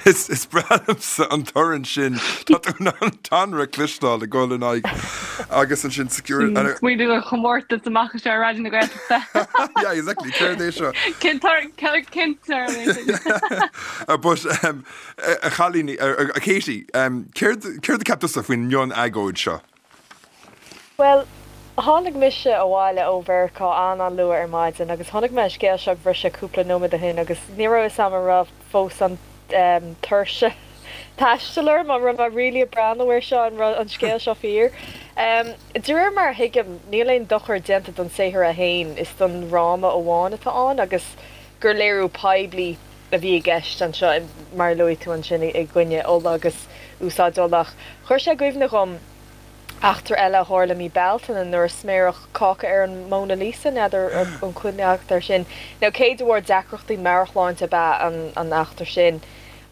Is breá liomsa an torann sin. Tá tú in ann an t-anraith a chloisteáil ag dul in aghaidh agus ansin security. Smaoinigh ar chomórtas amach anseo ar Raidió na Gaeltachta. Yeah, exactly. Céard é seo? Cén torann é sin? But a chailíní, a Katie, céard a cheap tusa faoin mion-agóid seo? Bhuel, tháinig mise abhaile ó Mheiriceá an-an-luath ar maidin agus chonaic mé an scéal seo ag briseadh cúpla nóiméad ó shin agus ní raibh fhios a'm an raibh fós an tuirse taistil orm, an raibh mé really ag breathnú air seo, an raibh an scéal seo fíor. De réir mar a thuigim, níl aon dochar déanta don saothar é féin, is don fhráma amháin atá ann agus gur léiriú poiblí a bhí i gceist anseo, mar a luaigh tú ansin, i gcoinne ola agus úsáid ola. Ach chuir sé i gcuimhne dhom eachtra eile a tharla mí Bealtaine nuair a sméaradh cáca ar an Mona Lisa, n'fheadar an cuimhne agat air sin. Now cé de bharr deacrachtaí meabhairshláinte ab ea an eachtra sin.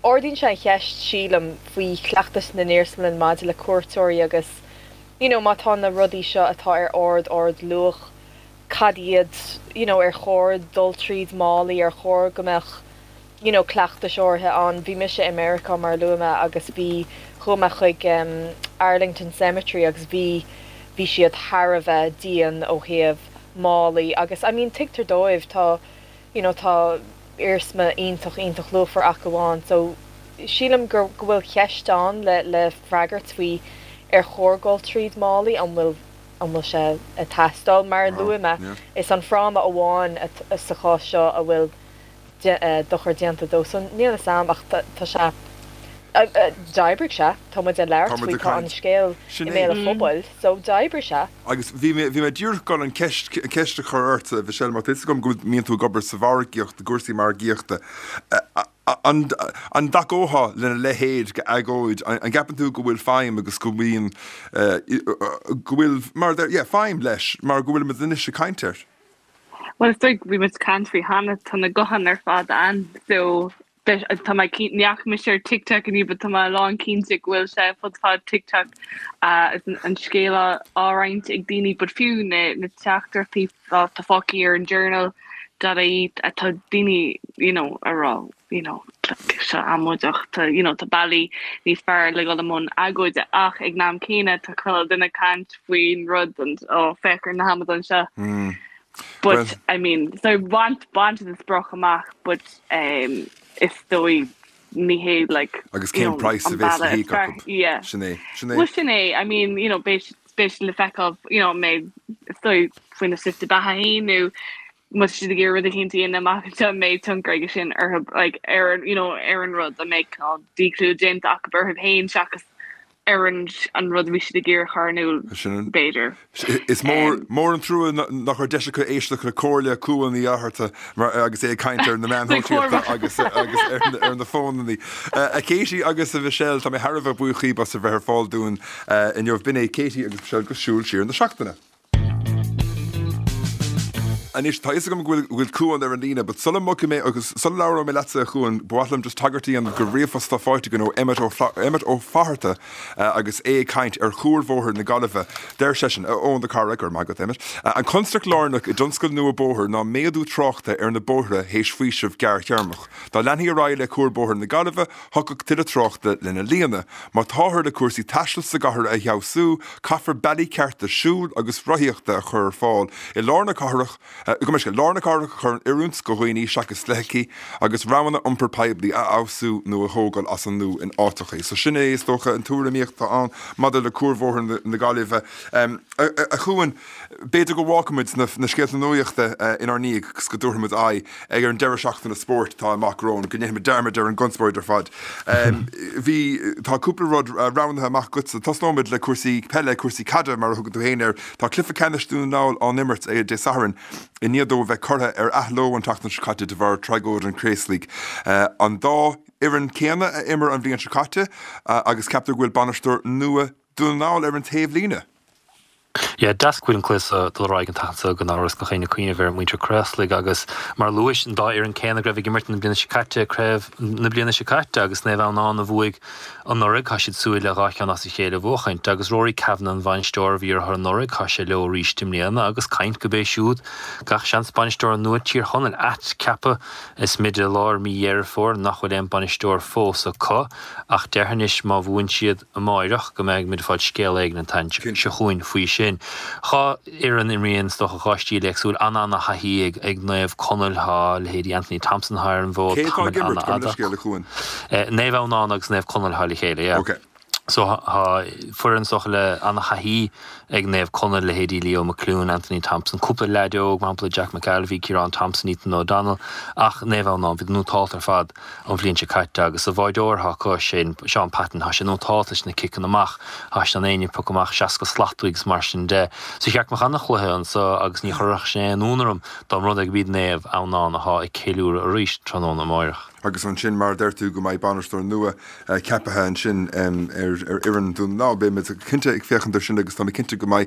Ardaíonn sé an cheist, sílim, faoi chleachtais na n-iarsmalann maidir le cuairteoirí agus you know má tá na rudaí seo atá ar ard ard luach, cad iad, you know, ar chóir dul tríd málaí, ar chóir go mbeadh, you know, cleachtais áirithe ann. Bhí mise i Meiriceá, mar a luaigh mé, agus bhí, chuaigh mé chuig em Arlington Cemetery agus bhí, bhí siad thar a bheith dian ó thaobh málaí agus, I mean, tuigtear dóibh, tá, you know, tá iarsma iontach, iontach luachmhar acu ann. So, sílim gur, go bhfuil ceist ann le, le freagairt faoi ar chóir dul tríd málaí, an bhfuil, an bhfuil sé ag teastáil. Mar a luaigh mé, is an fráma amháin sa chás seo a bhfuil dochar déanta dó. So níl fhios a'm ach tá sé, d'oibrigh sé, tá muid ag labhairt faoi, tá an scéal i mbéal an phobail, so d'oibrigh sé. Agus bhí mé, bhí mé díreach ag dul an ceist, ceist a chur ort, Michelle, mar tá fhios agam go mbíonn tú ag obair sa mhargaíocht, i gcúrsaí margaíochta. An dtacófá lena leithéid d'agóid? An gceapann tú go bhfuil feidhm agus go mbíonn, go bhfuil, mar, yeah, feidhm leis mar go bhfuilimid anois ag caint air? Bhuel, is dóigh, bhí muid ag caint faoi cheana, tá na gutháin ar fad ann so Tá mé ní fhaca mise ar TikTok inniu but tá mé lán cinnte go bhfuil sé fud fad TikTok uh, an scéal á roinnt ag daoine but fiú na na teachtaireachtaí tá fágtha ar an journal dot I E atá daoine you know a rá you know seo amaideach tá you know tá bealaí níos fearr le dul i mbun agóide ach ag an am céanna tá chuile duine ag caint faoin rud and ó féach ar na hamadáin seo. Mm. But well, I mean so baint baint an sprioc amach but um, is dóigh ní hé like agus cén price a bheas le híoc acu? Yeah. Sin é sin é. Well sin é I mean you know beidh beidh le feiceáil you know mé is dóigh faoina slite beatha féin nó má tá siad ag iarraidh rud eicínt a dhéanamh amach anseo an mbeidh tionchar aige sin orthu like ar you know ar an rud an mbeidh díchlú déanta acu orthu féin seachas ar an an rud a bhí siad ag iarraidh a chur in iúl b'fhéidir. Is mór mór an trua nach raibh deis acu éisteacht le comhairle Cuan Uí Fhátharta agus é ag caint ar na meáin shóisialta agus agus ar ar na fónannaí. A Katie agus a Mhichelle, tá mé thar a bheith buíoch díbh as a bheith ar fáil dúinn inniu. B'in é Katie agus Michelle go Siúl Siar na Seachtaine. Anois, tá fhios agam go bhfuil Cuan ar an líne, but sula mbogfaidh mé agus sula labhróidh mé leatsa a Chuain, ba mhaith liom just tagairt a dhéanamh do ríomhphost atá faighte againn ó Emmet Ó Emmet Ó Fatharta agus é ag caint ar chuarbhóthar na Gaillimhe. Deir seisean, Eoin the Carraig, go raibh maith agat Emmet, an constaic lárnach i dtionscal nua bóthair ná méadú tráchta ar na bóithre théis faoiseamh gearrthéarmach. Dá leanfaí ar aghaidh le cuarbhóthar na Gaillimhe, thiocfadh tuilleadh tráchta lena líonadh. Má táthar le cúrsaí taistil sa gcathair a fheabhsú, caithfear bealaí cearta siúil agus rothaíochta a chur ar fáil i lár na cathrach, go mbeidh lár na cathrach a chur in oiriúint do dhaoine seachas feithiclí, agus roghanna iompair poiblí a fheabhsú nó a thógáil as an nua in áiteacha. So sin é, is dócha, an tuairimíocht atá ann maidir le cuarbhóthar na Gaillimhe. A Chuain, b'fhéidir go bhfágfaimid na scéalta nuachta inár ndiaidh agus go dtabharfaimid aghaidh ar an deireadh seachtaine spóirt atá amach romhainn, go ndéanfaimid dearmad ar an gconspóid ar fad. Bhí, tá cúpla rud roghnaithe amach agatsa. Tosnóimid le cúrsaí peile, cúrsaí caide mar a thugann tú féin air. Tá cluiche ceannais Dún na nGall á n-imirt Dé Sathairn i ndiaidh dó a bheith curtha ar athló an tseachtain seo caite de bharr tragóid an Chraoslaigh. An dá fhoireann céanna a imir an bhliain seo caite agus ceaptar go bhfuil bainisteoir nua Dún na nGall ar an taobhlíne. Yeah, deas go bhfuil an cluiche ag dul ar aghaidh an tseachtain seo gan amhras gach éinne ag cuimhneamh ar mhuintir Chraoslaigh agus mar a luais an dá fhoireann céanna go raibh ag imirt na bliana seo caite, craobh na bliana seo caite agus Naomh Adhamhnáin a bhuaigh anuraidh, tá siad súil le dhá cheann as a chéile a bhuachaint agus Rory Kavanagh an bhainisteoir a bhí orthu anuraidh, tá sé leo arís i mbliana agus caint go b'é siúd gach seans bainisteoir nua Tír Chonaill athcheaptha is muid i lár mí Dheireadh Fómhair nach bhfuil aon bainisteoir fós acu ach déarfainn anois má bhuann siad amáireach go mbeidh muid ag fáil scéal éigin an tseachtain seo chugainn faoi sin. Dhá fhoireann imríonn is dócha dhá stíl éagsúil an-an-thaithí ag ag Naomh Conaill tá leithéidí Anthony Thompson ar an bhfód Cé atá ag imirt gabh mo leithscéal a Chuain? Naomh Adhamhnáin agus Naomh Conaill atá le chéile, yeah. Ok. So tá foireann is dócha le an-thaithí ag Naomh Conaill, leithéidí Leo McLoone, Anthony Thompson, cúpla leaid óg, mar shampla Jack McAlvey, Ciarán Thompson, Ethan O'Donnell, ach Naomh Adhamhnáin, bhíodar nótálta ar fad an bhliain seo caite agus a bháideoir atá acu, Shane, Seán Patton, tá sé nótálta leis na ciceanna amach, tá sé in ann éinne a phiocadh amach seasca slat uaidh agus mar sin de. So cheart go mbeadh an-chluiche anso agus ní chuirfeadh sé aon ionadh orm dá mba rud é go b'iad Naomh Adhamhnáin atá ag ceiliúradh arís tráthnóna amáireach. Agus ansin, mar a deir tú, go mbeidh bainisteoir nua ceaptha ansin ar fhoireann Dhún na nGall. Beidh muid cinnte ag féachaint air sin agus tá mé cinnte go mbeidh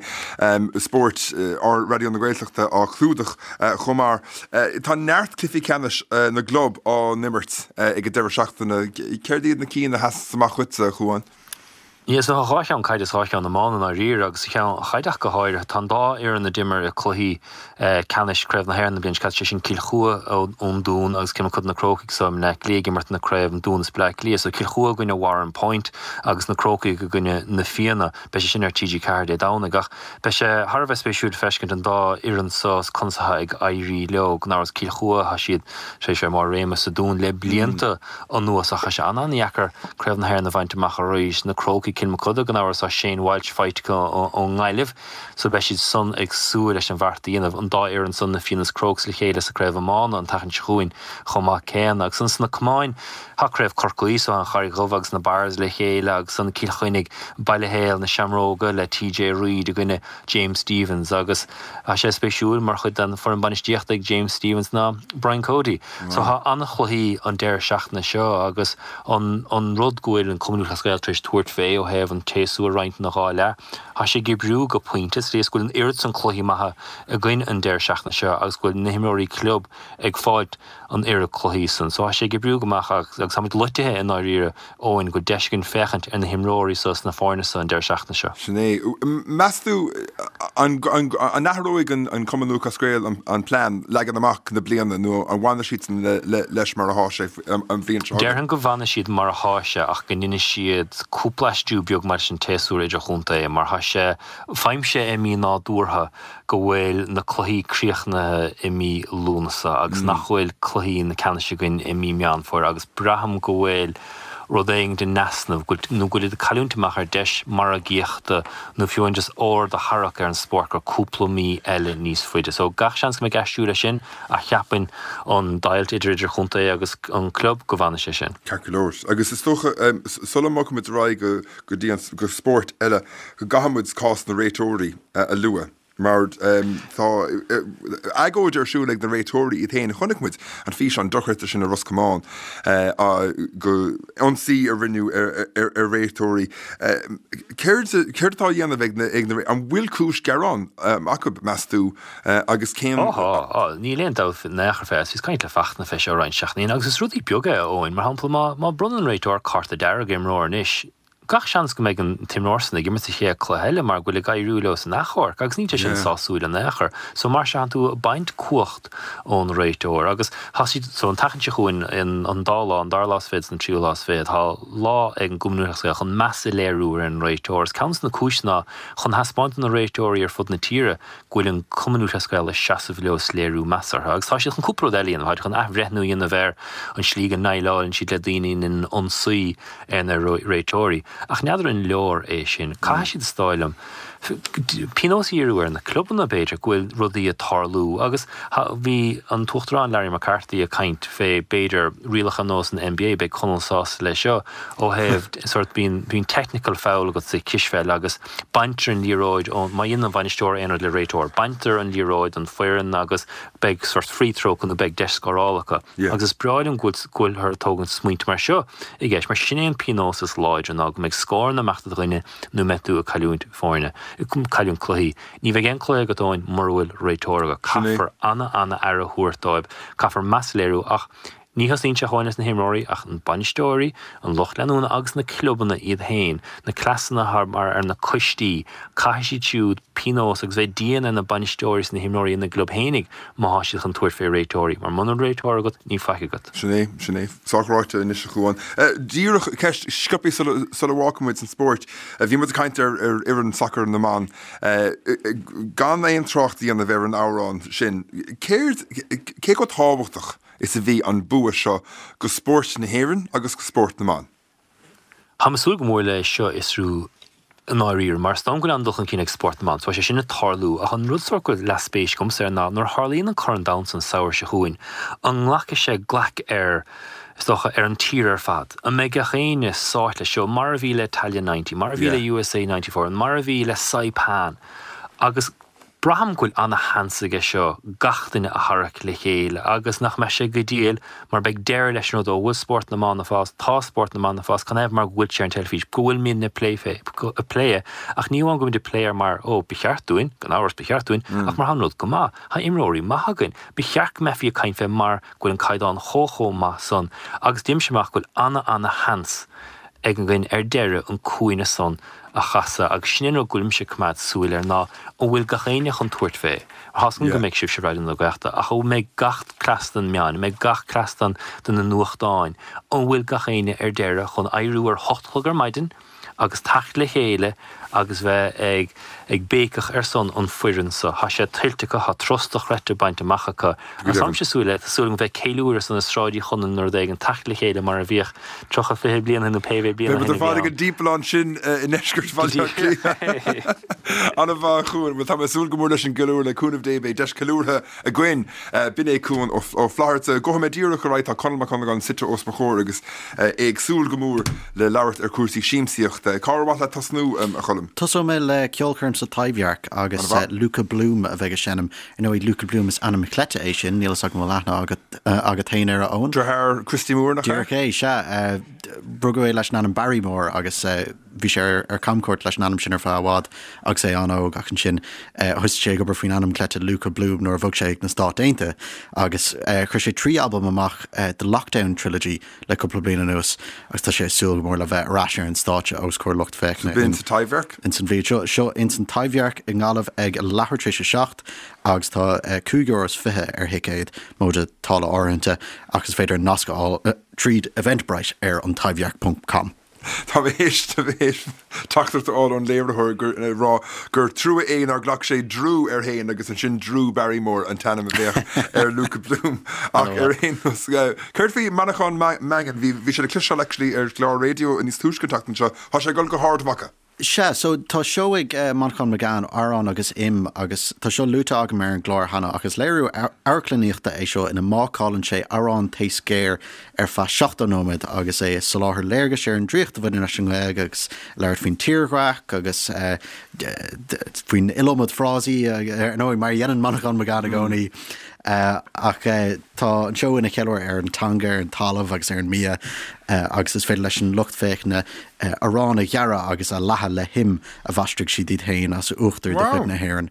spórt Raidió na Gaeltachta á chlúdach chomh maith. Tá neart cluichí ceannais na gclub á n-imirt ag an deireadh seachtaine. Céard iad na cinn a sheas amach dhuitse, a Chuain? Yeah, so tá dhá cheann caide is dhá cheann iomána i ndáiríre agus sa cheann chaide ach go háirithe. Tá an dá fhoireann a d'imir i cluichí ceannais Craobh na hÉireann na bliana seo caite, sé sin Cill Chua ón Dún agus Cill Mochuda Na Crócaigh so i mBleá Cliath ag imirt na craobh an Dún is Bleá Cliath. So Cill Chua i gcoinne Warrenpoint agus na Crócaigh i gcoinne Na Fianna. Beidh sé sin ar T G Ceathair Dé Domhnaigh ach beidh sé thar a bheith spéisiúil feiscint an dá fhoireann so is conas atá ag éirí leo. Gan amhras Cill Chua, tá siad tar éis bheith i mbarr réime sa Dún le blianta anuas ach tá sé an-an-dheacair Craobh na hÉireann a bhaint amach arís. Na Crócaigh, Cill Mochuda, gan amhras tá Shane Walsh faighte acu ón nGaillimh so beidh siad san ag súil leis an bheart a dhéanamh. An dá fhoireann san, na Fianna is Crokes le chéile sa craobh iomána an tseachtain seo chugainn chomh maith céanna. Agus ansan sna camáin, tá craobh Chorcaí so an Charraig Dhubh agus na Barrs le chéile agus ansan Cill Chainnigh, Baile Héil, na Seamróga le T J Reid i gcoinne James Stephens agus tá sé spéisiúil mar chuid den foireann bainistíochta ag James Stephens ná Brian Cody. So tá an-chluichí an deireadh seachtaine seo agus an an rud go bhfuil an Cumann Lúthchleas Gael tar éis tabhairt fé ó ó thaobh an tséasúr a roinnt ina dhá leath. Tá sé ag oibriú go pointe, sa tslí is go bhfuil an oiread san cluichí maithe againn an deireadh seachtaine seo agus go bhfuil na himreoirí club ag fáilt an oiread cluichí san. So tá sé ag oibriú go maith agus agus táimid loitithe i ndáiríre Eoin go bhfuil deis againn féachaint ar na himreoirí so sna foirne so an deireadh seachtaine seo. Sin é. Meas tú an an athróidh an an Cumann Lúthchleas Gael an an plean leagan amach na bliana nó an bhfanfaidh siadsan le le leis mar atá sé an bhliain seo chugainn? Déarfainn go bhfanfaidh siad mar atá sé ach go ndéanfaidh siad cúpla aistriú beag maidir leis an tséasúr idirchontae mar tá sé, faighimse é mí-nádúrtha go bhfuil na cluichí críochnaithe i mí Lúnasa agus nach bhfuil cluichí na ceannais againn i mí Meán Fómhair agus braithim go bhfuil rud éigin in easnamh, nó go bhfuil iad ag cailliúint amach ar deis margaíochta nó fiú amháin just aird a tharrac ar an spórt gur cúpla mí eile níos faide. So gach seans go mbeidh aistriú leis sin ach cheapfainn an deighilt idir idirchontae agus an club go bhfanfaidh sé sin. Ceart go leor. Agus is dócha, sula mbogfaimid ar aghaidh go dtí an go spórt eile, go gcaithfimid cás na réiteoirí a lua. Mar tá agóid ar siúl ag na réiteoirí iad féin. Chonaic muid an físeán dochreidte sin i Ros Comáin go ionsaí a rinneadh ar réiteoirí. Céard céard atá á dhéanamh ag na ag na an bhfuil cúis gearáin acu, meas tú, agus cén. Á tá, á, níl aon dabht in aon chor fé. Bhíos ag caint le Fachtna fé seo roinnt seachtainí agus is rudaí beaga é, a Eoin. Mar shampla, má má bronnann réiteoir cárta dearg ar imreoir anois, Gach seans go mbeidh an t-imreoir san ag imirt sa chéad cluiche eile mar go bhfuil ag éiriú leo san achomharc agus níl sé sin sásúil in aon chor. So mar sin tánn tú ag baint cumhacht ón réiteoir agus tá siad so an tseachtain seo chugainn in an dá lá, an dara lá is fiche is an tríú lá is fiche, tá lá ag an gCumann Lúthchleas Gael chun meas a léiriú ar an réiteoir. Is ceann de na cúiseanna ná chun thaispeáint do na réiteoirí ar fud na tíre go bhfuil an Cumann Lúthchleas Gael ag seasamh leo is léiriú meas orthu. Agus tá siad chun cúpla rud eile a dhéanamh, tá siad chun athbhreithniú a dhéanamh ar an slí go ndéileálann siad le daoine a dhéanann ionsaí ar na réiteoirí. Ach n'fheadar an leor é sin. Caithfidh siad, is dóigh liom, pionós a dhíriú ar na clubanna, b'fhéidir, go bhfuil rudaí ag tarlú. Agus bhí an tUachtarán Larry McCarthy ag caint fé, b'fhéidir, rialacha ar nós an NBA, beidh Conall sásta leis seo, ó thaobh sórt, bíonn, bíonn technical foul agat sa chispheil agus baintear an liathróid ón, má dhéanann an bainisteoir aon rud le réiteoir, baintear an liathróid don foireann agus beidh sórt free throw acu nó beidh deis scórála acu. Agus is breá liom go bhfuilthear ag tógaint smaointe mar seo i gceist, mar sin é an pionós is láidre ná go mbeidh scóranna ag imeacht do dhuine nó mbeidh tú ag cailliúint foirne, ag cailliúint cluichí. Ní bheidh aon cluiche agat Eoin mura bhfuil réiteoir agat. Caithfear ana-ana-aire a thabhairt dóibh, caithfear meas a léiriú ach ní thosaíonn sé amháin leis na himreoirí ach an bainisteoirí, an lucht leanúna agus na clubanna iad féin, na cleasanna atá mar ar na coistí, caithfidh siad siúd pionós agus bheith dian ar na bainisteoirí is na himreoirí ina gclub fhéinig má thá siad chun tabhairt fé réiteoirí, mar muna bhfuil réiteoir agat, níl faic agat. Sin é, sin é. Sách ráite anois a Chuáin. Díreach ceist sciobtha sula, sula bhfágfaidh muid an spórt. Bhí muid ag caint ar, ar fhoireann sacair na mban. Gan aon trácht a dhéanamh ar an amhrán sin, céard, cé chomh tábhachtach is a bhí an bua seo go spórt na hÉireann agus go spórt na mban? Táim ag súil go mór le seo a fhiosrú i ndáiríre, mar is dóigh liom go bhfuil an-dul chun cinn ag spórt na mban, so tá sé sin ag tarlú, ach an rud sórt go bhfuil leath-spéis agamsa air ná nuair a tharlaíonn an Corn Domhanda san samhradh seo chugainn, an nglacfaidh sé glaic ar, is dócha, ar an tír ar fad? An mbeidh gach éinne sáite leis seo, mar a bhí le Italia ninety, mar a bhí le USA ninety four, mar a bhí le Saipan, agus. Braithim go bhfuil ana-sheans aige seo gach duine a tharrac le chéile agus nach mbeidh sé go diail mar beidh deireadh leis an rud, ó bhfuil spórt na mban ag fás, tá spórt na mban ag fás, canathaobh mar go bhfuil sé ar an teilifís, go bhfuilimidne ag plé fé, ag plé é, ach ní amháin go bhfuilimid ag plé air mar, ó, ba cheart dúinn, gan amhras ba cheart dúinn, ach mar tá an rud go maith, tá imreoirí maith againn, ba cheart go mbeifí ag caint fé mar go bhfuil an caighdeán chomh chomh maith san agus deirimse amach go bhfuil ana-ana-sheans ag againn ar deireadh an cúinne san a chasadh agus sin an rud go bhfuilimse ag coimeád súil air ná an bhfuil gach éinne chun tabhairt fé. Tá's agam go mbeidh sibhse Raidió na Gaeltachta ach an mbeidh gach cleas den meáin, an mbeidh gach cleas den de na nuachtáin, an bhfuil gach éinne ar deireadh chun éiriú ar hocht a chlog ar maidin agus teacht le chéile agus bheith ag ag béiceach ar son an foireann so. Thá sé tuillte acu, thá turas dochreidte bainte amach acu. Agus táimse ag súil le, tá súil agam bheith ceiliúradh sna sráidí Chonnacht nó rud éigin, teacht le chéile mar a bhíodh tríocha, fiche bliain ó shin nó pé mhéad bliain ó Beidh shin muid a ar bhí fad ag ann. an dtimpeallán sin i ndeisceart Go Bhaile Átha díreach. Cliath. An-mhaith, a Chuain. Bhuel, tá mé ag súil go mór leis an gceiliúradh, le cúnamh Dé beidh deis ceiliúrtha againn. B'in é Cuan Ó Flatharta. Gabhfaidh mé díreach ar aghaidh, tá Conall Mac Congáin suite os mo chomhair agus é ag súil go mór le labhairt ar chúrsaí siamsaíochta. Cár mhaith leat tosnú, a Choilm? Tosóidh mé le ceolchoirm sa Taibhdhearc agus Luka Bloom a bheidh ag seinm. Ar ndóigh, Luka Bloom is ainm cleite é sin, níl fhios agam an bhfuil aithne agat agat féin air, a Eoin? Deartháir Christy Moore, nach ea? Díreach é, sea. Rugadh é leis an ainm Barry Moore agus Bhí sé ar, ar camchuairt leis an ainm sin ar feadh i bhfad agus é an-óg ach ansin thosaigh sé ag obair faoin ainm cleite Luka Bloom nuair a bhog sé ag na Stáit Aontaithe agus chuir sé trí albam amach The Lockdown Trilogy le cúpla bliain anuas agus tá sé ag súil go mór le bheith ar ais ar an stáitse os comhair lucht féachana in sa Taibhdhearc. Ins an bhliain seo. Seo ins an Taibhdhearc i nGaillimh ag a leathuair tar éis a seacht agus tá cúig euro is fiche ar thicéad, móide táille áirithinte, ach is féidir nasc a fháil tríd Eventbrite ar an Taibhdhearc ponc com. Tá mé théis teachtaireacht a fháil ón léiritheoir ag rá gur trua é nár ghlac sé Drew air féin agus ansin Drew Barrymore an t-ainm a bheadh ar Luka Bloom. Ach ar aon nós, céard faoi Manchán Magan? Bhí sé le cloisteáil actually ar chlár raidió níos túisce an tseachtain seo. Tá sé ag dul go hArd Mhacha. Sea, so tá seó ag Manchán Magan, Arán agus Im, agus tá seo luaite agam ar an gclár cheana, ach is léiriú amharclannaíochta é seo ina mbácálann sé arán taos géar ar feadh seachtó nóiméad agus é ag soláthar léargais ar an draíocht a bhaineann leis an nGaeilge agus labhairt faoin tírdhreach agus faoin iliomad frásaí, ar ndóigh, mar a dhéanann Manchán Magan i gcónaí. Ach tá an seó ina cheiliúradh ar an teanga, ar an talamh agus ar an mbia agus is féidir leis an lucht féachana arán a ghearradh agus a leathadh le him a mhaistrigh siad iad féin as uachtar de chuid na hÉireann.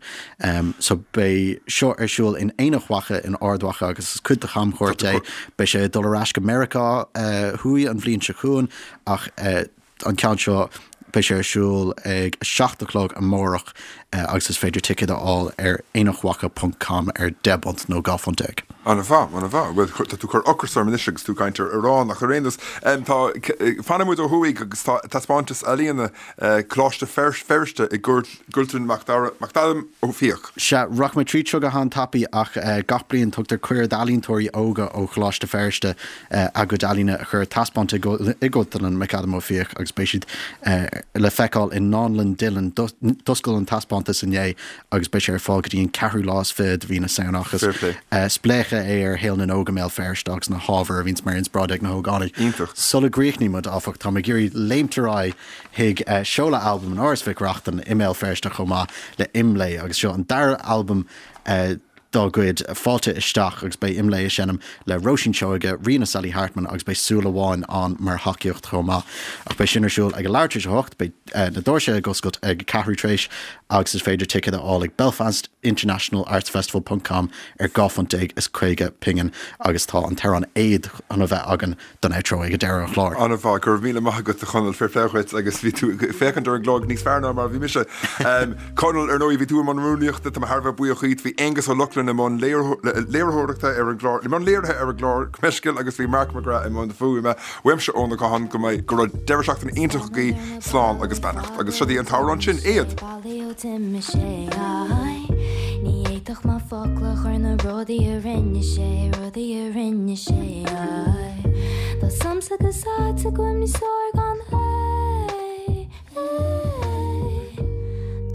So beidh seo ar siúl in Aonach Mhacha in Ard Mhacha agus is cuid de chamchuairt é. Beidh sé ag dul ar ais go Meiriceá Thuaidh an bhliain seo chugainn ach an ceann seo beidh sé ar siúl ag a seacht a chlog amárach agus is féidir ticéid a fháil ar aonachmhacha ponc com ar deich bpunt nó dhá phunt déag. An-mhaith, an-mhaith. Bhuel, tá tú ag cur ocras orm anois agus tú ag caint ar arán, ach ar aon nós, tá, fanfaidh muid ó thuaidh agus tá taispeántas ealaíona Coláiste Feirste i gCultúrlann McAdam Ó Fiaich. Sea, rachaidh mé tríd seo go han-tapaidh ach gach bliain tugtar cuireadh d'ealaíontóirí óga ó Choláiste Feirste a gcuid ealaíne a chur ar taispeáint i gCultúrlann McAdam Ó Fiaich agus beidh siad le feiceáil i nDánlann Dillon. D'oscail an taispeántas inné agus beidh sé ar fáil go dtí an ceathrú lá is fiche de mhí na Samhna ach is spléachadh é ar shaol na n-óg i mBéal Feirste agus na hábhair a bhíonns mar inspioráid ag na hógánaigh. Iontach. Sula gcríochnaíonn muid, áfach, tá mé ag iarraidh léimt ar aghaidh chuig seoladh albaim in Áras Mhic Reachtain i mBéal Feirste chomh maith le Imlé agus seo an dara albam dá gcuid, Fáilte Isteach, agus beidh Imlé ag seinm le Róisín Seoige, Ríona Sally Hartman agus beidh Súil Amháin ann mar thacaíocht chomh maith. Ach beidh sin ar siúl ag a leathuair tar éis a hocht, beidh na doirse ag oscailt ag a ceathrú tar éis agus is féidir ticéid a fháil ag Belfast International Arts Festival ponc com ar dhá phunt déag is caoga pingin agus tá an t-amhrán Éad chun a bheith againn don outro ag deireadh an chláir. An-mhaith, go raibh míle maith agat a Chonaill, fair play dhuit agus bhí tú ag féachaint ar an gclog níos fearr ná mar a bhí mise. Conall, ar ndóigh bhí tú i mbun rúnaíochta, tá mé thar a bheith buíoch díot, bhí Aengus Ó Lochlainn i mbun léiritheoireachta ar an gclár, i mbun léirithe ar an gclár, gabh mo leithscéal, agus bhí Mark McGrath i mbun fuaime. Uaimse Eoin Ó Catháin go mbeidh, go raibh deireadh seachtaine iontach agaibh, slán agus beannacht. Agus seo í an t-amhrán sin, Éad! Ní fhéadfadh mé focal a chur na rudaí a rinne sé, rudaí a rinne sé. Tá 's a'msa go áit agam níos fearr gan é.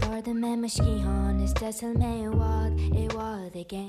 D'ardaigh mé mo sciathán is d'eitil mé i bhfad, i bhfad i gcéin.